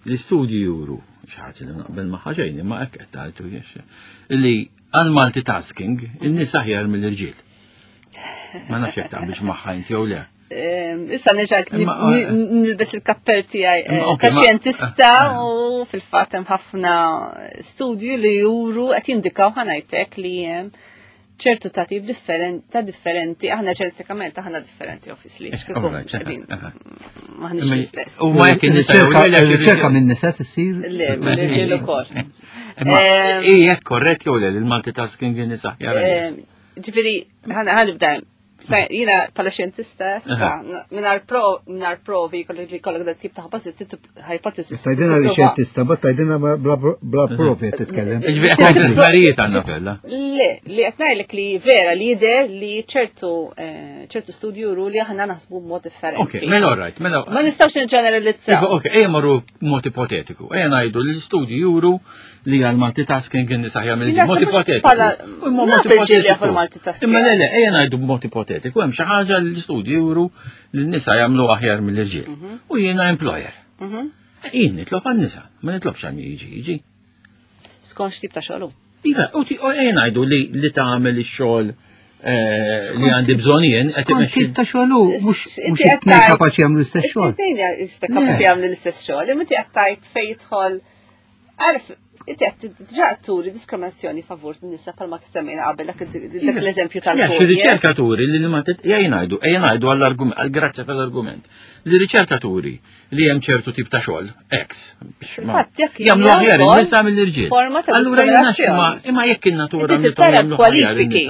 l-istudji juru xi ħaġa li naqbel ma' ħaġejn, imma hekk qed tgħidu jiex, illi għal multitasking in-nies aħjar mill-irġiel. Ma nafx jekk taqbilx magħha inti jew le. Issa nerġa' nilbes il-kappell tiegħi eh, ta' xjentista eh. u fil-fatt hemm ħafna studju li juru qed jindikaw ħanajtek li hemm ċertu ta' tip ta' differenti, aħna ġenetikament aħna differenti obviously. Maħniex l-istess. U ma jekk nisa riċerka minn nisa tissir? Le, mill-irġiel ukoll. Ija korrett jew le l-multitasking nisa. Ġifieri, ħanibda Jina pala xjentista, sa, minar provi li kollok da tip ta' hypothesis. Tajdina li xjentista, bat tajdina bla provi titkellem. Ġifieri għandna fella. Le, li qed ngħidlek li vera li jidher li ċertu eh, ċertu studju juru li aħna naħsbu b'mod differenti. Ok, mela all right, mela. Ma nistgħux niġġeneralizzaw. Iva, ok, ejja marru mod ipotetiku. Ejja ngħidu li l-istudju juru li għal multitasking kien nisa aħjar mill Mod ipotetiku. Mod ipotetiku. Imma le, le, ejja ngħidu b'mod ipotetiku, hemm xi ħaġa li l-istudju juru li n-nisa jagħmlu aħjar mill-irġiel. Mhm. U jiena employer. Mhm. Jien nitlob għan-nisa, ma nitlobx għal jiġi jiġi. Skont x'tip ta' xogħol. Iva, u ngħidu li li tagħmel ix-xogħol eh, li għandi bżonn jien qed imexxi. Tip ta' xogħol hu mhux mhux it-tnejn kapaċi jagħmlu l-istess xogħol. It-tnejn kapaċi jagħmlu l-istess xogħol, imma inti qed tgħid fejn jidħol għarf inti qed diġà turi diskriminazzjoni favur nisa bħalma semmejna qabel dak l-eżempju tal-. Riċerkaturi li ma jgħidu, jgħidu għall-argument, għall-grazzja tal-argument. Li riċerkaturi li hemm ċertu tip ta' xogħol, ex, jagħmlu aħjar in-nisa mill-irġiel. Forma ta' Allura jiena imma jekk in-natura tara l-kwalifiki,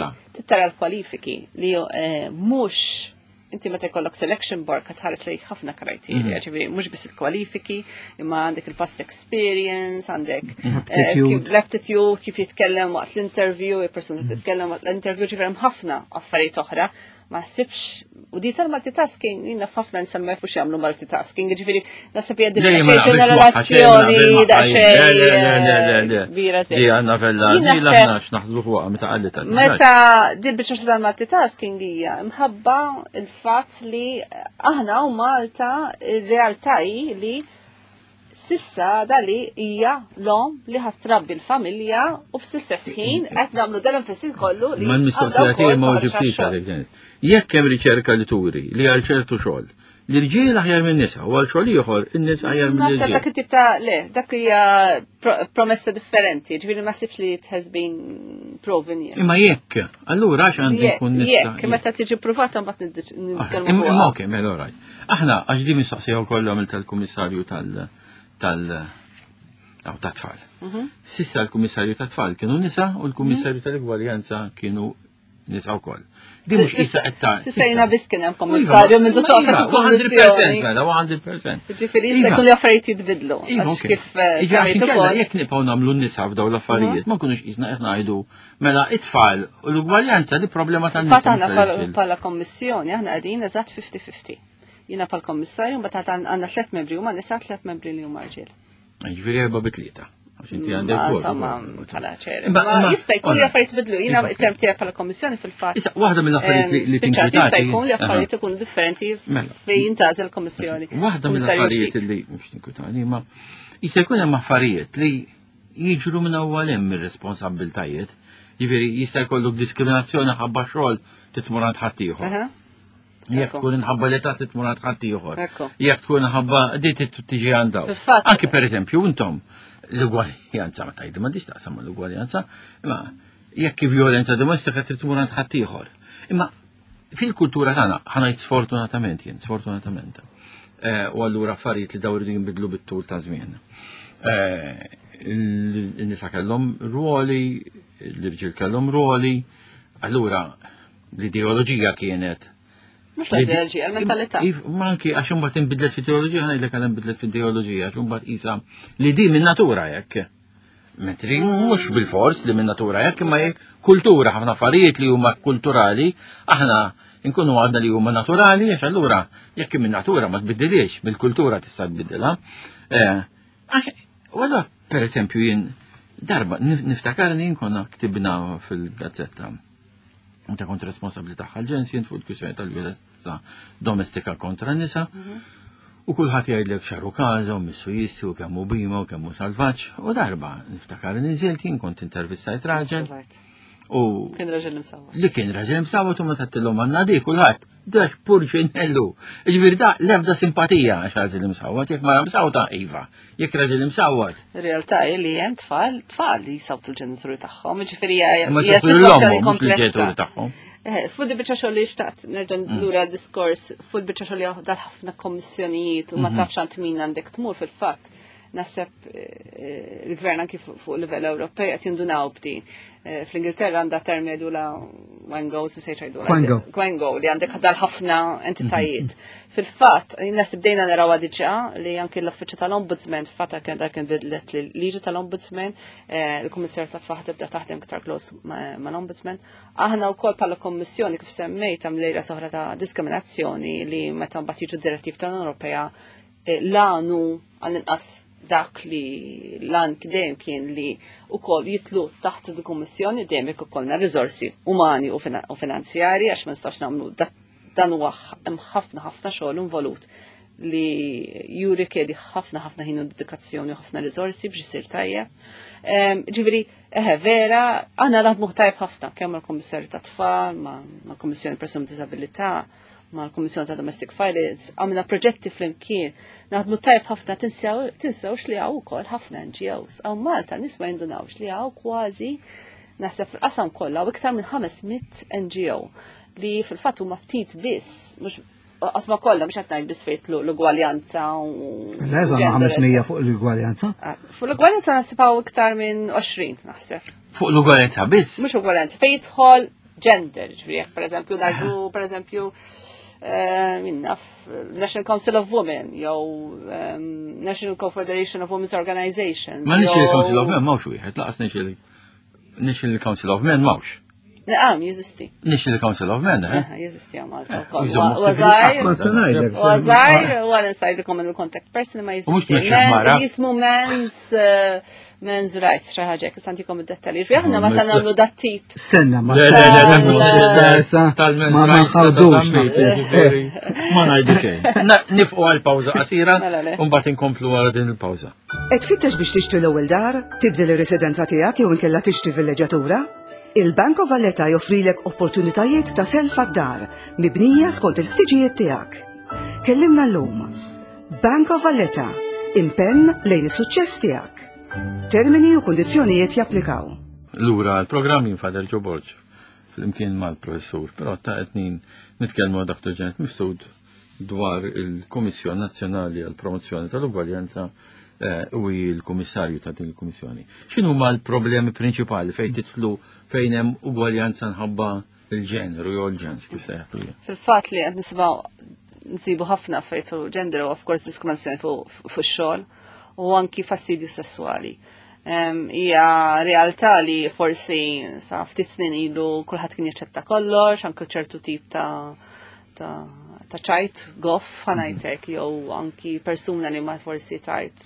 tara l-kwalifiki li eh, mhux inti meta jkollok selection board qed tħares lejn ħafna kriterja, mhm. ġifieri mhux biss il-kwalifiki, imma għandek il-past experience, għandek mhm. eh, l-aptitude, kif jitkellem waqt l-interview, il-persuna mhm. titkellem waqt l-interview, ġifieri hemm ħafna affarijiet oħra ma ħsibx u di tal-multitasking jina ħafna nsemma jafux jagħmlu multitasking, ġifieri naħseb hija daqsxejn ġenerazzjoni daqsxejn kbira se. Di għandna vella, di l-aħna x'naħsbu fuqha meta qalli tal. Meta di biċċa tal-multitasking hija mħabba il-fatt li aħna u Malta ir-realtà hi li Sissa dali hija l-omm li ħadd trabbi l-familja u fl-istess ħin qed nagħmlu dan l-enfasi kollu li. Ma l-mistoqsija tiegħi ma ġibtix għalek Janet. Jekk hemm riċerka li turi li għal ċertu xogħol l-irġiel aħjar minn nisa u għal xogħol ieħor in-nisa aħjar minn irġiel. Dak it-tip ta' le, dak hija promessa differenti, ġifieri ma sibx li it has been proven yet. Imma jekk, allura għax għandi jkun nista'. Jekk, meta tiġi provata mbagħad nitkellmu. Imma okej, mela right. Aħna, għax di mistoqsija wkoll għamilt tal-Kummissarju tal- tal tat-tfal. Mhm. Sissa l-Kummissarju tat-tfal kienu nisa u l-Kummissarju mhm. tal-Igwaljanza kienu nisa wkoll. Di mhux issa qed ta' Sissa jiena biss kien hemm kommissarju minn tuqa fil-kummissjoni. Mela 100%. Ġifieri jista' jkun li affarijiet jitbidlu. Iva, kif eh, semmejt ukoll. Jekk nibqgħu nagħmlu n-nisa f'daw l-affarijiet, mhm. ma nkunux qisna qed ngħidu Mela, it-tfal u l-ugwaljanza di problema tan Fatt aħna bħala kommissjoni, aħna qegħdin eżatt 50-50. Jiena bħal kommissarju mbagħad għandna tliet membri huma nisa tliet membri li huma rġiel. Ġifieri erba' bi tlieta. Insomma, bħala ċer. Ma jista' jkun li affarijiet bidlu, jiena term tiegħek bħala kommissjoni fil-fatt. Issa waħda mill-affarijiet li tinkwitati. Jista' jkun li affarijiet ikunu differenti mela. fejn jintgħażel kommissjoni. Waħda mill-affarijiet li mhux tinkwitani, ma jista' jkun hemm affarijiet li jiġru minn hawn hemm ir-responsabbiltajiet. Jiġifieri jista' jkollok diskriminazzjoni ħabba xogħol titmur għand ħaddieħor. Jekk tkun inħabba l-età titmur għand ħaddieħor. Jekk tkun inħabba di tiġi għand dawn. Anki pereżempju intom l-ugwaljanza ma tgħidu m'għandix taqsam l-ugwaljanza, imma jekk violenza domestika trid tmur għand ħaddieħor. Imma Fil-kultura tagħna, ħanajt sfortunatament jien, sfortunatament. Eh, u allura affarijiet li daw iridu jinbidlu bit-tul ta' żmien. Eh, il-nisa kellhom ruoli, l-irġiel kellhom ruoli, allura l-ideoloġija kienet Mux l-ideoloġija, l-mentalità. Ma anki għax imbagħad inbidlet fl-ideoloġija, ħanajdlek għal inbidlet fl-ideoloġija, għax imbagħad isa li di minn natura jekk. Mentri mhux bil-fors li minn natura hekk imma kultura ħafna affarijiet li huma kulturali aħna nkunu għadna li huma naturali għax allura jekk minn natura ma tbiddilix mill-kultura tista' tbiddilha. Eh, u allura pereżempju jien darba niftakarni konna ktibna fil-gazzetta meta kont responsabbli tagħha l-ġens jien fuq il-kwistjoni tal-violenza domestika kontra nisa. Mhm. U kulħadd jgħidlek xaru każa u missu jisti u kemm hu bima u kemm hu salvaġġ. U darba niftakar niżilt jien kont intervistajt raġel. U kien raġel imsawwat. Li kien raġel imsawwat u meta tillhom għandna di kulħadd dak purċinellu. Ġifieri da l-ebda simpatija għax raġel imsawwat, jekk mara msawta iva, jekk raġel imsawwat. Ir-realtà hi li hemm tfal, tfal li jsawtu l-ġenituri tagħhom, ġifieri hija sitwazzjoni komplessa. tagħhom. Eh, fuq di biċċa xogħol li xtaqt nerġa' mm. lura diskors fuq biċċa xogħol li dal ħafna kommissjonijiet u ma mhm. tafx għand min għandek tmur fil-fatt. Naħseb il-gvern anki fuq livell Ewropej qed jindunaw b'din. Fl-Ingilterra għandha term jgħidu la Wango, se se jgħidu Quango. Quango li għandek dal ħafna entitajiet. Fil-fatt, naħseb bdejna narawha diġà li anki l-Uffiċċju tal-Ombudsman fil-fatt kien dak kien bidlet liġi tal-Ombudsman, il-Kummissarju tat-Tfal tibda taħdem iktar close mal-Ombudsman. Aħna wkoll bħala Kommissjoni kif semmejt hemm lejla soħra ta' diskriminazzjoni li meta mbagħad jiġu direttiv tal-Unjoni Ewropea l-għanu għall-inqas dak li l-għan dejjem kien li wkoll jitlu taħt il-Kummissjoni dejjem jekk ikollna riżorsi umani u finanzjari għax ma nistax nagħmlu dan huwa hemm ħafna ħafna xogħol involut li juri kedi ħafna ħafna ħin u dedikazzjoni u ħafna riżorsi biex isir tajjeb. Ġifieri, eħe, vera, aħna naħdmu tajjeb ħafna kemm mal-Kummissarju tat-Tfal, mal-Kummissjoni Persuni b'Diżabilità, mal-Kummissjoni ta' Domestic Violence, għamilna proġetti flimkien, naħdmu tajjeb ħafna, tinsewx li hawn ukoll ħafna NGOs. Hawn Malta nies ma jindunawx li hawn kważi naħseb fil-qasam kollha u iktar minn 500 NGO li fil-fatt huma ftit biss, mhux qasma kollha mhux qed ngħid biss fejn l-ugwaljanza u Le, żamma 500 fuq l-ugwaljanza. Fuq l-ugwaljanza naħseb hawn iktar minn 20 naħseb. Fuq l-ugwaljanza biss? Mhux ugwaljanza, fejn jidħol gender, ġifieri jekk pereżempju ngħidu pereżempju minna National Council of Women jew National Confederation of Women's Organizations. Ma National Council of Men m'hawnx wieħed, laqas National Council of Men m'hawnx. Naqam, jeżisti. National Council of Men, eh? Jeżisti għamal. Għazajr, u għal insajdikom il-contact person ma jeżisti. Jismu men's rights, xi ħaġa, jekk santikom id-dettalji. Ġifieri aħna meta nagħmlu dat tip. Stenna, ma ma ma nħawdux Ma ngħidu xejn. Nifqu għal pawża qasira u mbagħad inkomplu wara din il-pawża. Qed tfittex biex tixtri l-ewwel dar, tibdel ir-residenza tiegħek jew inkella tixtri villeġġatura? Il-Bank of Valletta joffrilek opportunitajiet ta' self għad-dar mibnija skont il-ħtiġijiet tiegħek. Kellimna llum. Bank of Valletta, impenn lejn is-suċċess tiegħek. Termini u kundizzjonijiet japplikaw. Lura l-programm jien Father Joe Borg flimkien mal-professur, però ta' qed nitkellmu Dr. Janet Mifsud dwar il-Kummissjoni Nazzjonali għall-Promozzjoni tal-Ugwaljanza u hi l-Kummissarju ta' din il-Kummissjoni. X'inhuma l-problemi prinċipali fejn titlu fejn hemm ugwaljanza nħabba il-ġeneru jew l-ġens kif se jgħidu? Fil-fatt li qed nisimgħu nsibu ħafna fejn fuq gender u of course diskriminazzjoni fuq xogħol u anki fastidju sessuali. Hija realtà li forsi sa ftit snin ilu kulħadd kien jaċċetta kollox, anke ċertu tip ta' ċajt, goff, ħanajtek, jew anki persuna li ma forsi tajt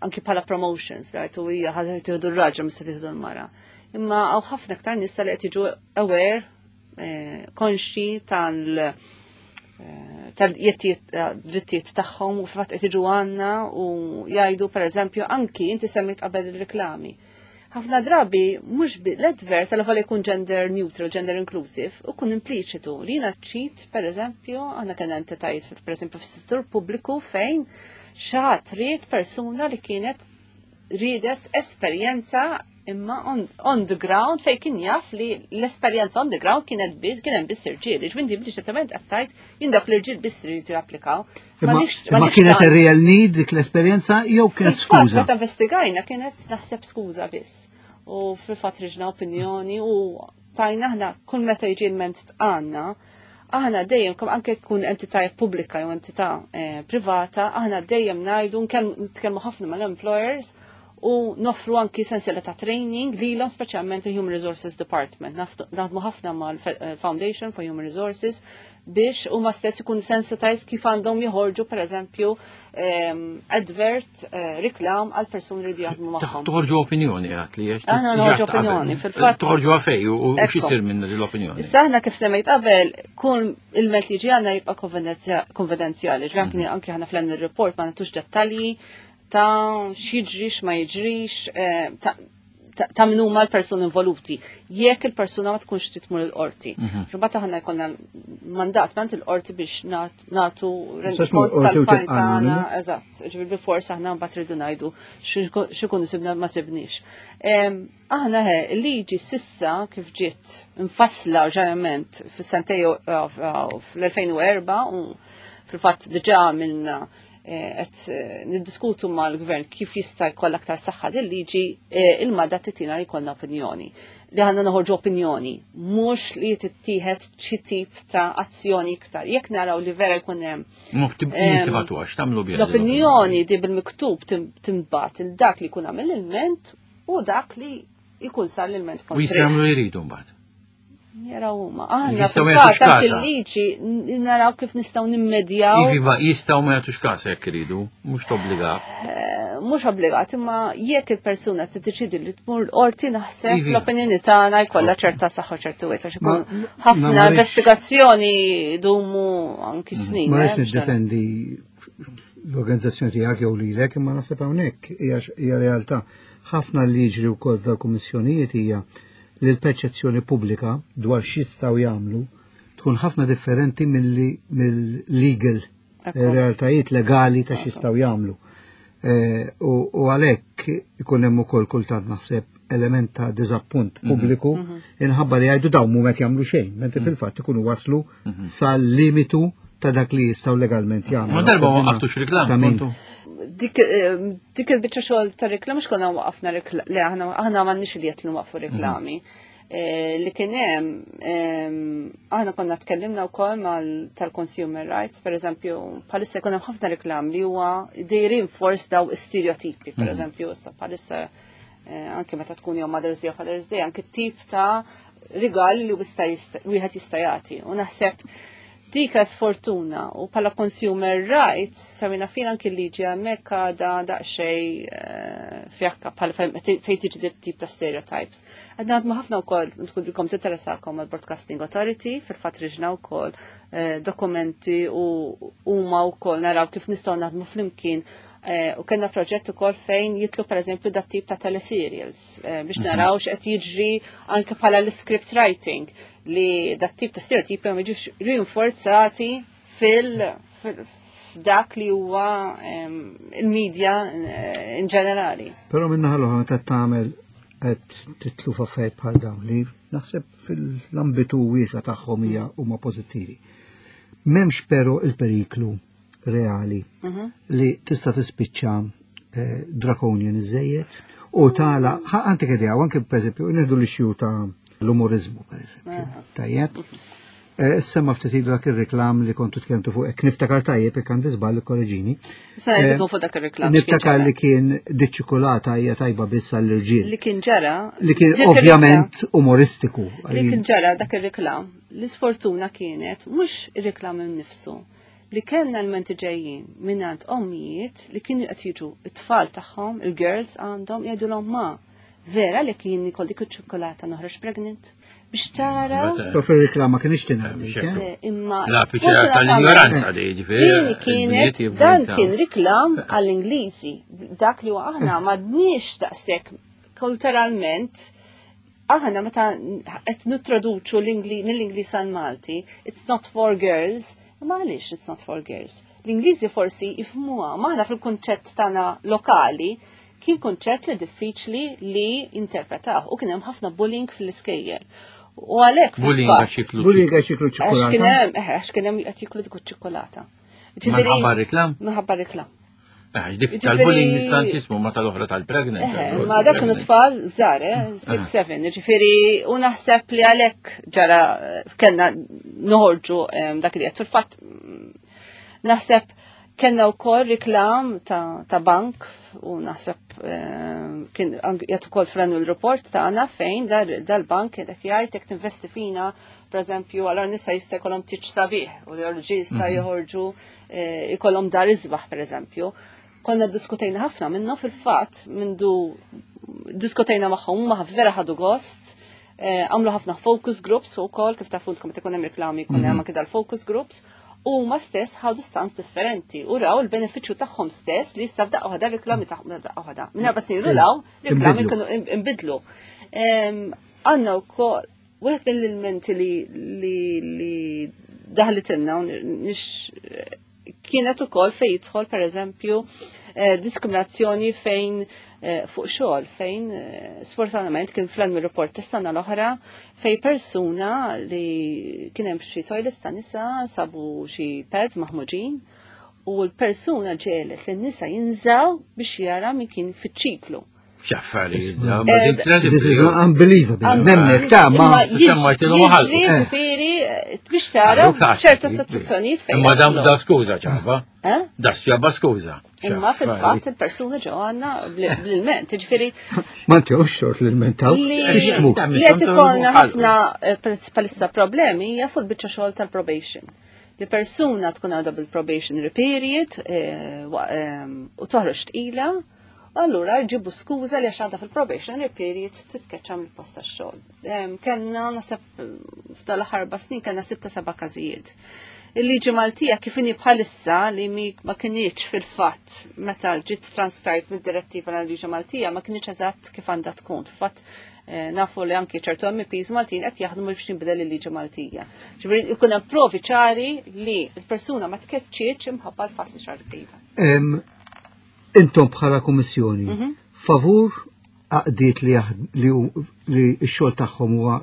anki bħala promotions, right, u hija ħa tieħdu r-raġel mhux se tieħdu l-mara. Imma hawn ħafna aktar nies li qed jiġu aware, konxi tal-drittijiet tagħhom u fil-fatt qed jiġu għandna u jgħidu pereżempju anki inti semmejt qabel ir-reklami. Ħafna drabi mhux l-advert tal-għal jkun gender neutral, gender inclusive, u kun impliċitu li jiena ċit, pereżempju, aħna kellna entitajiet pereżempju fis-settur pubbliku fejn xi ħadd ried persuna li kienet riedet esperjenza imma on the ground fejn kien jaf li l-esperjenza on the ground kienet kien hemm biss irġiel. Ġifieri impliċitament qed tgħid jien dawk l-irġiel biss rridu japplikaw. Imma kienet a real need dik l-esperjenza jew kienet skuża? Meta investigajna kienet naħseb skuża biss. U fil-fatt riġna opinjoni u tajna aħna kull meta jiġi l-ment għandna, aħna dejjem kemm anke jkun entità pubblika jew entità privata, aħna dejjem ngħidu nitkellmu ħafna mal-employers u noffru anki sensiela ta' training lilhom speċjalment il-Human Resources Department. Naħdmu ħafna mal-Foundation for Human Resources biex huma stess ikun sensitized kif għandhom joħorġu pereżempju advert reklam għal persuni li jaħdmu magħhom. Toħorġu opinjoni għat li għax Aħna noħorġu opinjoni, fil-fatt. Toħorġu għafej u x'isir minn l-opinjoni. Issa aħna kif semmejt qabel, kull il-met li ġi għandna jibqa' konfidenzjali. Ġifieri anki aħna fl-annual report ma nagħtux dettalji ta' x'jiġri x'ma jiġrix, ta' min huma l-persuni involuti. Jekk il-persuna ma tkunx trid tmur il-qorti. Imbagħad aħna jkollna mandat mant il-qorti biex nagħtu rendikont tal-fajl tagħna, eżatt, ġifieri bil-fors aħna mbagħad rridu ngħidu x'ikunu sibna ma sibniex. Aħna he, il-liġi sissa kif ġiet infassla ġajament fis-sentej fl-2004 u fil-fatt diġà minna qed niddiskutu mal-gvern kif jista' jkollha aktar saħħa din liġi, il-mandat titina li jkollna opinjoni. Li għandna noħorġu opinjoni, mhux li tittieħed xi tip ta' azzjoni iktar. Jekk naraw li vera jkun hemm. Tibgħatu għax tagħmlu biha. L-opinjoni di bil-miktub timbagħat il dak li jkun għamel il-ment u dak li jkun sar l-ilment kontra. U jistgħu jagħmlu jridu mbagħad. Jaraw huma. Aħna fil-fatt il-liġi naraw kif nistgħu nimmedjaw. Iva, jistgħu ma jagħtux każ jekk iridu, mhux obbligat. Eh, mhux obbligat, imma jekk il-persuna tiddeċidi li tmur l-qorti naħseb iva. l-opinjoni tagħna jkollha ċerta saħħa ċertu wieħed għax ikun ħafna investigazzjoni dumu anki mhm. snin. Ma rridx eh, niddefendi l-organizzazzjoni tiegħek jew lilek, imma naħseb hawnhekk hija realtà. Ħafna li jiġri wkoll dal-kummissjonijiet hija li l-perċezzjoni pubblika dwar x'jistgħu jagħmlu tkun ħafna differenti mill-legal eh, realtajiet legali ta' x'jistgħu jagħmlu. Eh, u għalhekk ikun hemm ukoll kultant naħseb element ta' diżappunt mhm. pubbliku mhm. inħabba li jgħidu dawn mhu qed jagħmlu xejn, mentri mhm. fil-fatt ikunu waslu sal-limitu ta' dak li jistgħu legalment jagħmlu. Ma darba waqaftux reklam. Dik eh, dik il-biċċa xogħol ta' reklam mhux konna waqafna reklam, le aħna aħna m'għandniex li qed nwaqfu reklami. Eh, li kien hemm aħna konna tkellimna wkoll mal tal-consumer rights, per eżempju, bħalissa jkun hemm ħafna reklam li huwa they reinforce daw stereotipi, per eżempju, issa bħalissa eh, anke meta tkun jew Mother's Day u Father's Day, anke tip ta' rigal li wieħed jista' jagħti. U naħseb Dika sfortuna u bħala consumer rights samina fin anki liġi hemmhekk għadha daqsxejn eh, fjakka bħala fejn tiġi dit tip ta' stereotypes. Għadna għadmu ħafna wkoll tkun tinteressakom għall-Broadcasting Authority, fil-fatt riġna wkoll eh, dokumenti u huma wkoll naraw kif nistgħu naħdmu flimkien eh, u kellna proġett ukoll fejn jitlu pereżempju dat tip ta' teleserials biex mhm. naraw x'qed jiġri anke bħala l-script writing li dak tip ta' stereotipi ma jiġux rinforzati fil dak li huwa il-medja eh, in ġenerali. Però minna ħallu meta tagħmel qed titlu f'affarijiet bħal dawn li naħseb fil-ambitu wiesa tagħhom hija huma pożittivi. M'hemmx però il-periklu reali mhm. li tista' tispiċċa eh, draconian iżejjed u tala anke idea anke pereżempju nieħdu l-issue ta' l-umorizmu pereżempju. Tajjeb. Eh, semma ftit ilu dak ir-reklam li kontu tkellmtu fuq hekk niftakar tajjeb jekk għandi żball ikkoreġini. Eh, fuq dak ir-reklam. Niftakar li kien diċ-ċikolata hija tajba biss għall-irġiel. Li kien ġara. Li kien ovvjament umoristiku. Li kien ġara dak ir-reklam. L-isfortuna kienet mhux ir-reklam innifsu li kellna l-menti ġejjin mingħand ommijiet li kienu qed jiġu it-tfal tagħhom, il-girls għandhom jgħidulhom ma vera li kien ikolli dik iċ-ċokolata noħroġ pregnant biex tara. Pero fil-reklama kien ixtina. Eh, imma La tal-ignoranza li ġifieri. Kienet dan kien riklam għall-Ingliżi. Dak li aħna m'għadniex daqshekk kulturalment aħna meta qed nittraduċu mill-Ingliż għal Malti, it's not for girls, ma għaliex it's not for girls. L-Ingliżi forsi jifhmuha, ma aħna fil-kunċett tagħna lokali kien kunċett li diffiċli li interpretaw u kien hemm ħafna bullying fl-iskejjel. U għalhekk bullying għax jiklu bullying għax jiklu ċokolata. Kien hemm eh, għax kien hemm qed jiklu dik ċokolata. Minħabba reklam? Minħabba reklam. Eh, dik tal-bullying nista' jismu ma tal-oħra tal-pregnant. Eh, ma dak kienu tfal żgħar, 6-7, eh, ġifieri u naħseb li għalhekk ġara kellna noħorġu dak li qed fil-fatt mm, naħseb kellna wkoll riklam ta' bank u naħseb kien jgħid ukoll fl-annual report tagħna fejn dal-bank qed jgħid jekk tinvesti fina pereżempju għal nisa jista' jkollhom tiċ sabiħ u l-irġiel jista' mhm. joħorġu Eh, ikollhom dar isbaħ pereżempju. Konna diskutejna ħafna minnu fil-fatt mindu diskutejna magħhom huma vera ħadu gost. Eh, għamlu ħafna focus groups u kol, kif tafu intkom meta hemm reklami jkun hemm mhm. anke dal-focus groups u ma stess ħadu stans differenti u raw il-benefiċċju tagħhom stess li issa f'daqqa waħda reklami tagħhom daqqa waħda. Minn erba' snin law reklami kienu imbidlu. Għandna wkoll Wieħed mill-ilmenti li li li daħlitilna nix kienet ukoll fejn jidħol pereżempju eh, diskriminazzjoni fejn eh, fuq xogħol fejn eh, sfortunatament kien fl-annual report tas-sena l-oħra fejn persuna li kien hemm xi toilets ta' nisa sabu xi pads maħmuġin. U l-persuna ġelet li n-nisa jinżaw biex jara min kien fiċ-ċiklu. X'affarijiet, This is unbelievable. Nemmek ta' ma. Jiġri ġifieri biex tara ċerta situazzjonijiet fejn. Imma dam da skuża ċaba. Da xjaba skuża. Imma fil-fatt il-persuna ġew għandna bl-ilment, ġifieri. Ma ntihux xort l-ilment taw. Li qed ikollna ħafna palissa problemi hija fuq biċċa xogħol tal-probation. Li persuna tkun għadha bil-probationary period u toħroġ tqila, allura jġibu skuża li għax għadha fil-probationary period titkeċċa mill-post tax-xogħol. Kellna naħseb f'dal-aħħar snin kellna sitta seba' każijiet. Il-liġi Maltija kif inhi bħalissa li ma kinitx fil-fatt meta ġiet transcribed mid-direttiva l liġi Maltija ma kinitx eżatt kif għandha tkun. Fil-fatt nafu li anki ċertu MEPs Maltin qed jaħdmu biex jinbidel il-liġi Maltija. Ġifieri jkun hemm provi ċari li l-persuna ma tkeċċietx imħabba l-fatt li xar tqila. Intom bħala kummissjoni, favur għaqdiet li li x-xogħol tagħhom huwa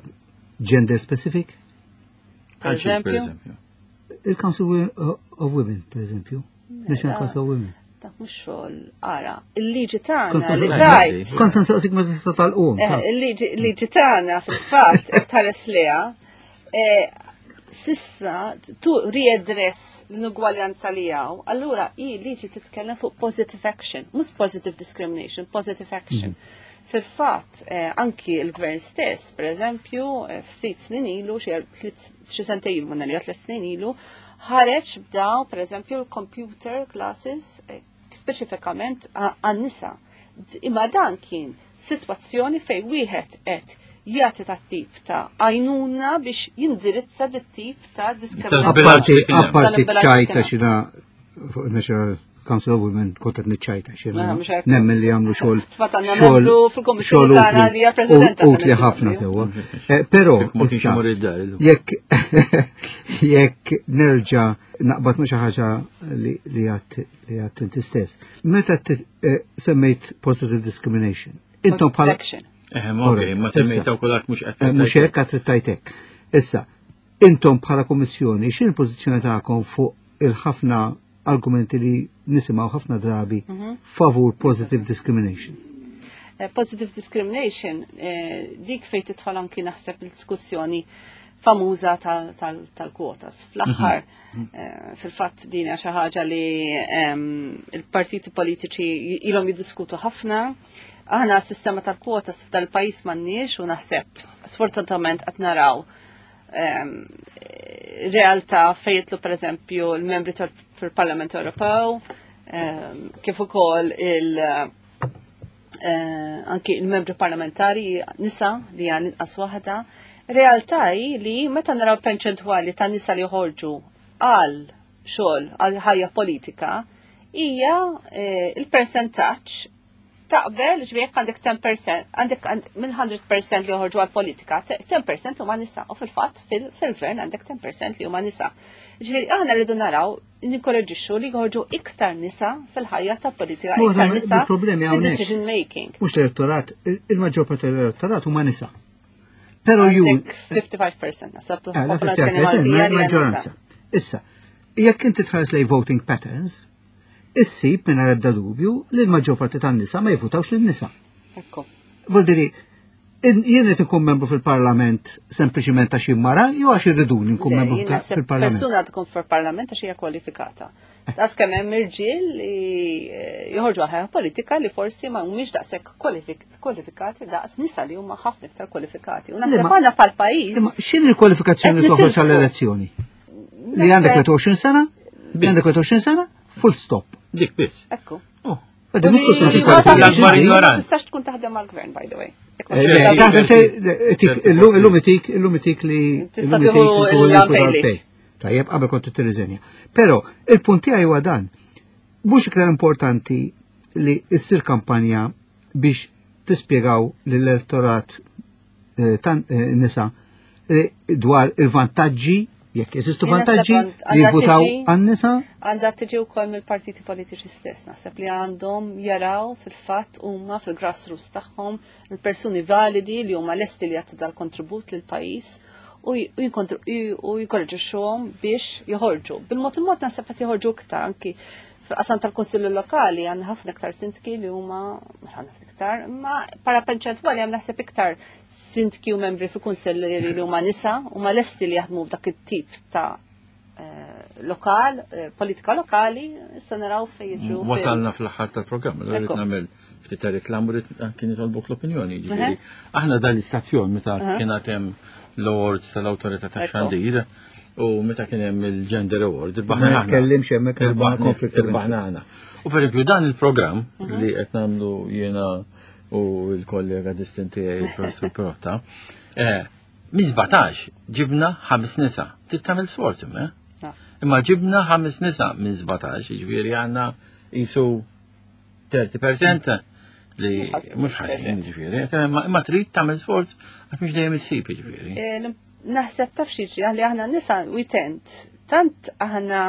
gender specific? Per eżempju? Il-Council of Women, per eżempju. National Council of Women. Dak mhux xogħol ara, il-liġi tagħna li tajt. Kont se nsaqsik ma tista' tal-qum. Il-liġi tagħna fil-fatt qed tħares liha sissa tu readdress l-inugwaljanza li hawn, allura i liġi titkellem fuq positive action, mhux positive discrimination, positive action. Fil-fatt, anki l-gvern stess, per eżempju, ftit snin ilu, xi sentejn ilu, ma tliet snin ilu, ħareġ b'daw, per eżempju, computer classes speċifikament għan-nisa. Imma dan kien sitwazzjoni fej wieħed qed jagħti ta' tip ta' għajnuna biex jindirizza dit tip ta' diskriminazzjoni. Apparti ċajta xina fuq National Council of Women kont qed niċċajta xina. Nemmen li jagħmlu xogħol. Xogħol utli ħafna sewwa. Però jekk nerġa' naqbad ma' xi ħaġa li għadt inti stess. Meta semmejt positive discrimination, intom bħala Ma semmejta wkoll għad mhux qed. Mhux hekk għad trid Issa, intom bħala kummissjoni, x'in il-pożizzjoni tagħkom fuq il-ħafna argumenti li nisimgħu ħafna drabi favur positive discrimination? Positive discrimination, dik fejn tidħol anki naħseb il-diskussjoni famuża tal-kwotas. Fl-aħħar, fil-fatt din hija xi ħaġa li il-partiti politiċi ilhom jiddiskutu ħafna. Aħna s-sistema tal-kwotas f'dal-pajjiż m'għandniex u naħseb sfortunatament qed naraw realtà fejn jitlu pereżempju l-membri fil-Parlament Ewropew, kif ukoll anki il-membri parlamentari nisa li għan inqas waħda. Realtà hi li meta naraw perċentwali ta' nisa li joħorġu għal xogħol għal ħajja politika hija il-persentaġġ taqbel, ġifieri jekk għandek 10%, għandek minn 100% li joħorġu għal politika, 10% huma nisa, u fil-fatt fil-gvern għandek 10% li huma nisa. Ġifieri aħna rridu naraw ninkoraġixxu li joħorġu iktar nisa fil-ħajja ta' politika, iktar nisa fil-decision making. Mhux l-elettorat, il-maġġor parti tal-elettorat huma nisa. Però ju 55% nasab popolazzjoni Maltija li maġġoranza. Issa, jekk inti tħares lej voting patterns, issib minn ebda dubju li l-maġġor parti tan-nisa ma jivvutawx lin-nisa. Ekku. Vuol dire, jien qed ikun membru fil-Parlament sempliċiment għax mara jew għax irriduni nkun membru fil-Parlament. Persuna tkun fil-Parlament għax hija kwalifikata. Daqs kemm hemm irġiel li joħorġu ħajja politika li forsi ma humiex daqshekk kwalifikati daqs nisa li huma ħafna iktar kwalifikati. U naħseb aħna bħal pajjiż. Imma x'inhi l-kwalifikazzjoni li toħroġ għall-elezzjoni? Li għandek 21 sena? Li għandek 21 sena? Full stop. Dik biss. Ekku. Oh. Ma tistax tkun taħdem għall-gvern, by the way. Illum itik, illum itik li. Tista' tieħu l-pay. Tajjeb, qabel kont tirriżenja. Però il-punt tiegħi huwa dan. Mhux iktar importanti li ssir kampanja biex tispjegaw lill-elettorat tan nisa dwar il-vantaġġi, jekk jeżistu vantaġġi li jivvutaw għan-nisa? Għandha tiġi wkoll mill-partiti politiċi stess, naħseb li għandhom jaraw fil-fatt huma fil-grassroots tagħhom il-persuni validi li huma lesti li jagħtu dal-kontribut lil pajjiż. u jinkoraġixxuhom biex joħorġu. Bil-mod il-mod naħseb qed joħorġu iktar anki fil-qasam tal-Kunsillu Lokali għandna ħafna iktar sindki li huma ħafna iktar, imma para perċentwali hemm naħseb iktar sindki u membri fi kunsilli li huma nisa u ma lesti li jaħdmu f'dak it-tip ta' eh, lokal, eh, politika lokali, issa naraw fejn jiġu. Wasalna fl-aħħar tal-programm, rrid nagħmel ftit ta' reklam u rrid anki nitolbok l-opinjoni. Ġifieri, aħna dan l-istazzjon meta kien hemm l-awards tal-awtorità tax-xandir u meta kien hemm il-Gender Award, irbaħna. Ma tkellimx hemmhekk konflitt irbaħna aħna. U pereżempju dan il-programm mhm. li qed nagħmlu jiena u l-kollega distinti il-professur Protta, eh, minn 17 ġibna ħames nisa. Trid tagħmel sforz imma. Eh? Ah. Imma ġibna ħames nisa minn 17, jiġifieri għandna jisu 30% li mhux ħażin ġifieri, imma trid tagħmel sforz għax mhux dejjem issib ġifieri. Eh, naħseb taf xi li aħna nisa we tend tant aħna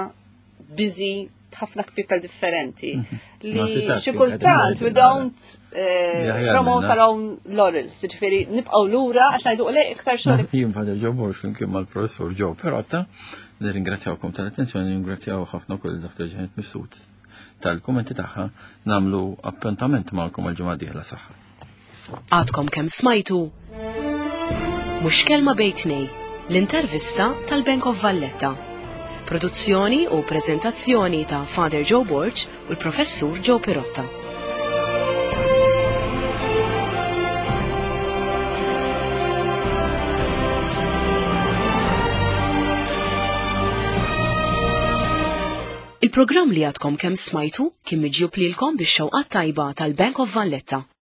busy b'ħafna kpipel differenti mhm. li xi kultant we don't eh, promote our own laurels, ġifieri nibqgħu lura għax ngħidu le iktar xogħol. Jien Father Joe Borg flimkien mal-professur Joe Perotta, nirringrazzjawkom tal-attenzjoni, nirringrazzjaw ħafna wkoll il-Dr. Janet Mifsud tal-kummenti tagħha nagħmlu appuntament magħkom għal ġimgħa dieħla saħħa. Għadkom kemm smajtu Mhux kelma bejn tnej, l-intervista tal-Bank of Valletta. Produzzjoni u preżentazzjoni ta' Father Joe Borg u l-Professur Joe Pirotta. Il-programm li għadkom kemm smajtu kien miġjub lilkom bix-xewqat tajba tal-Bank of Valletta.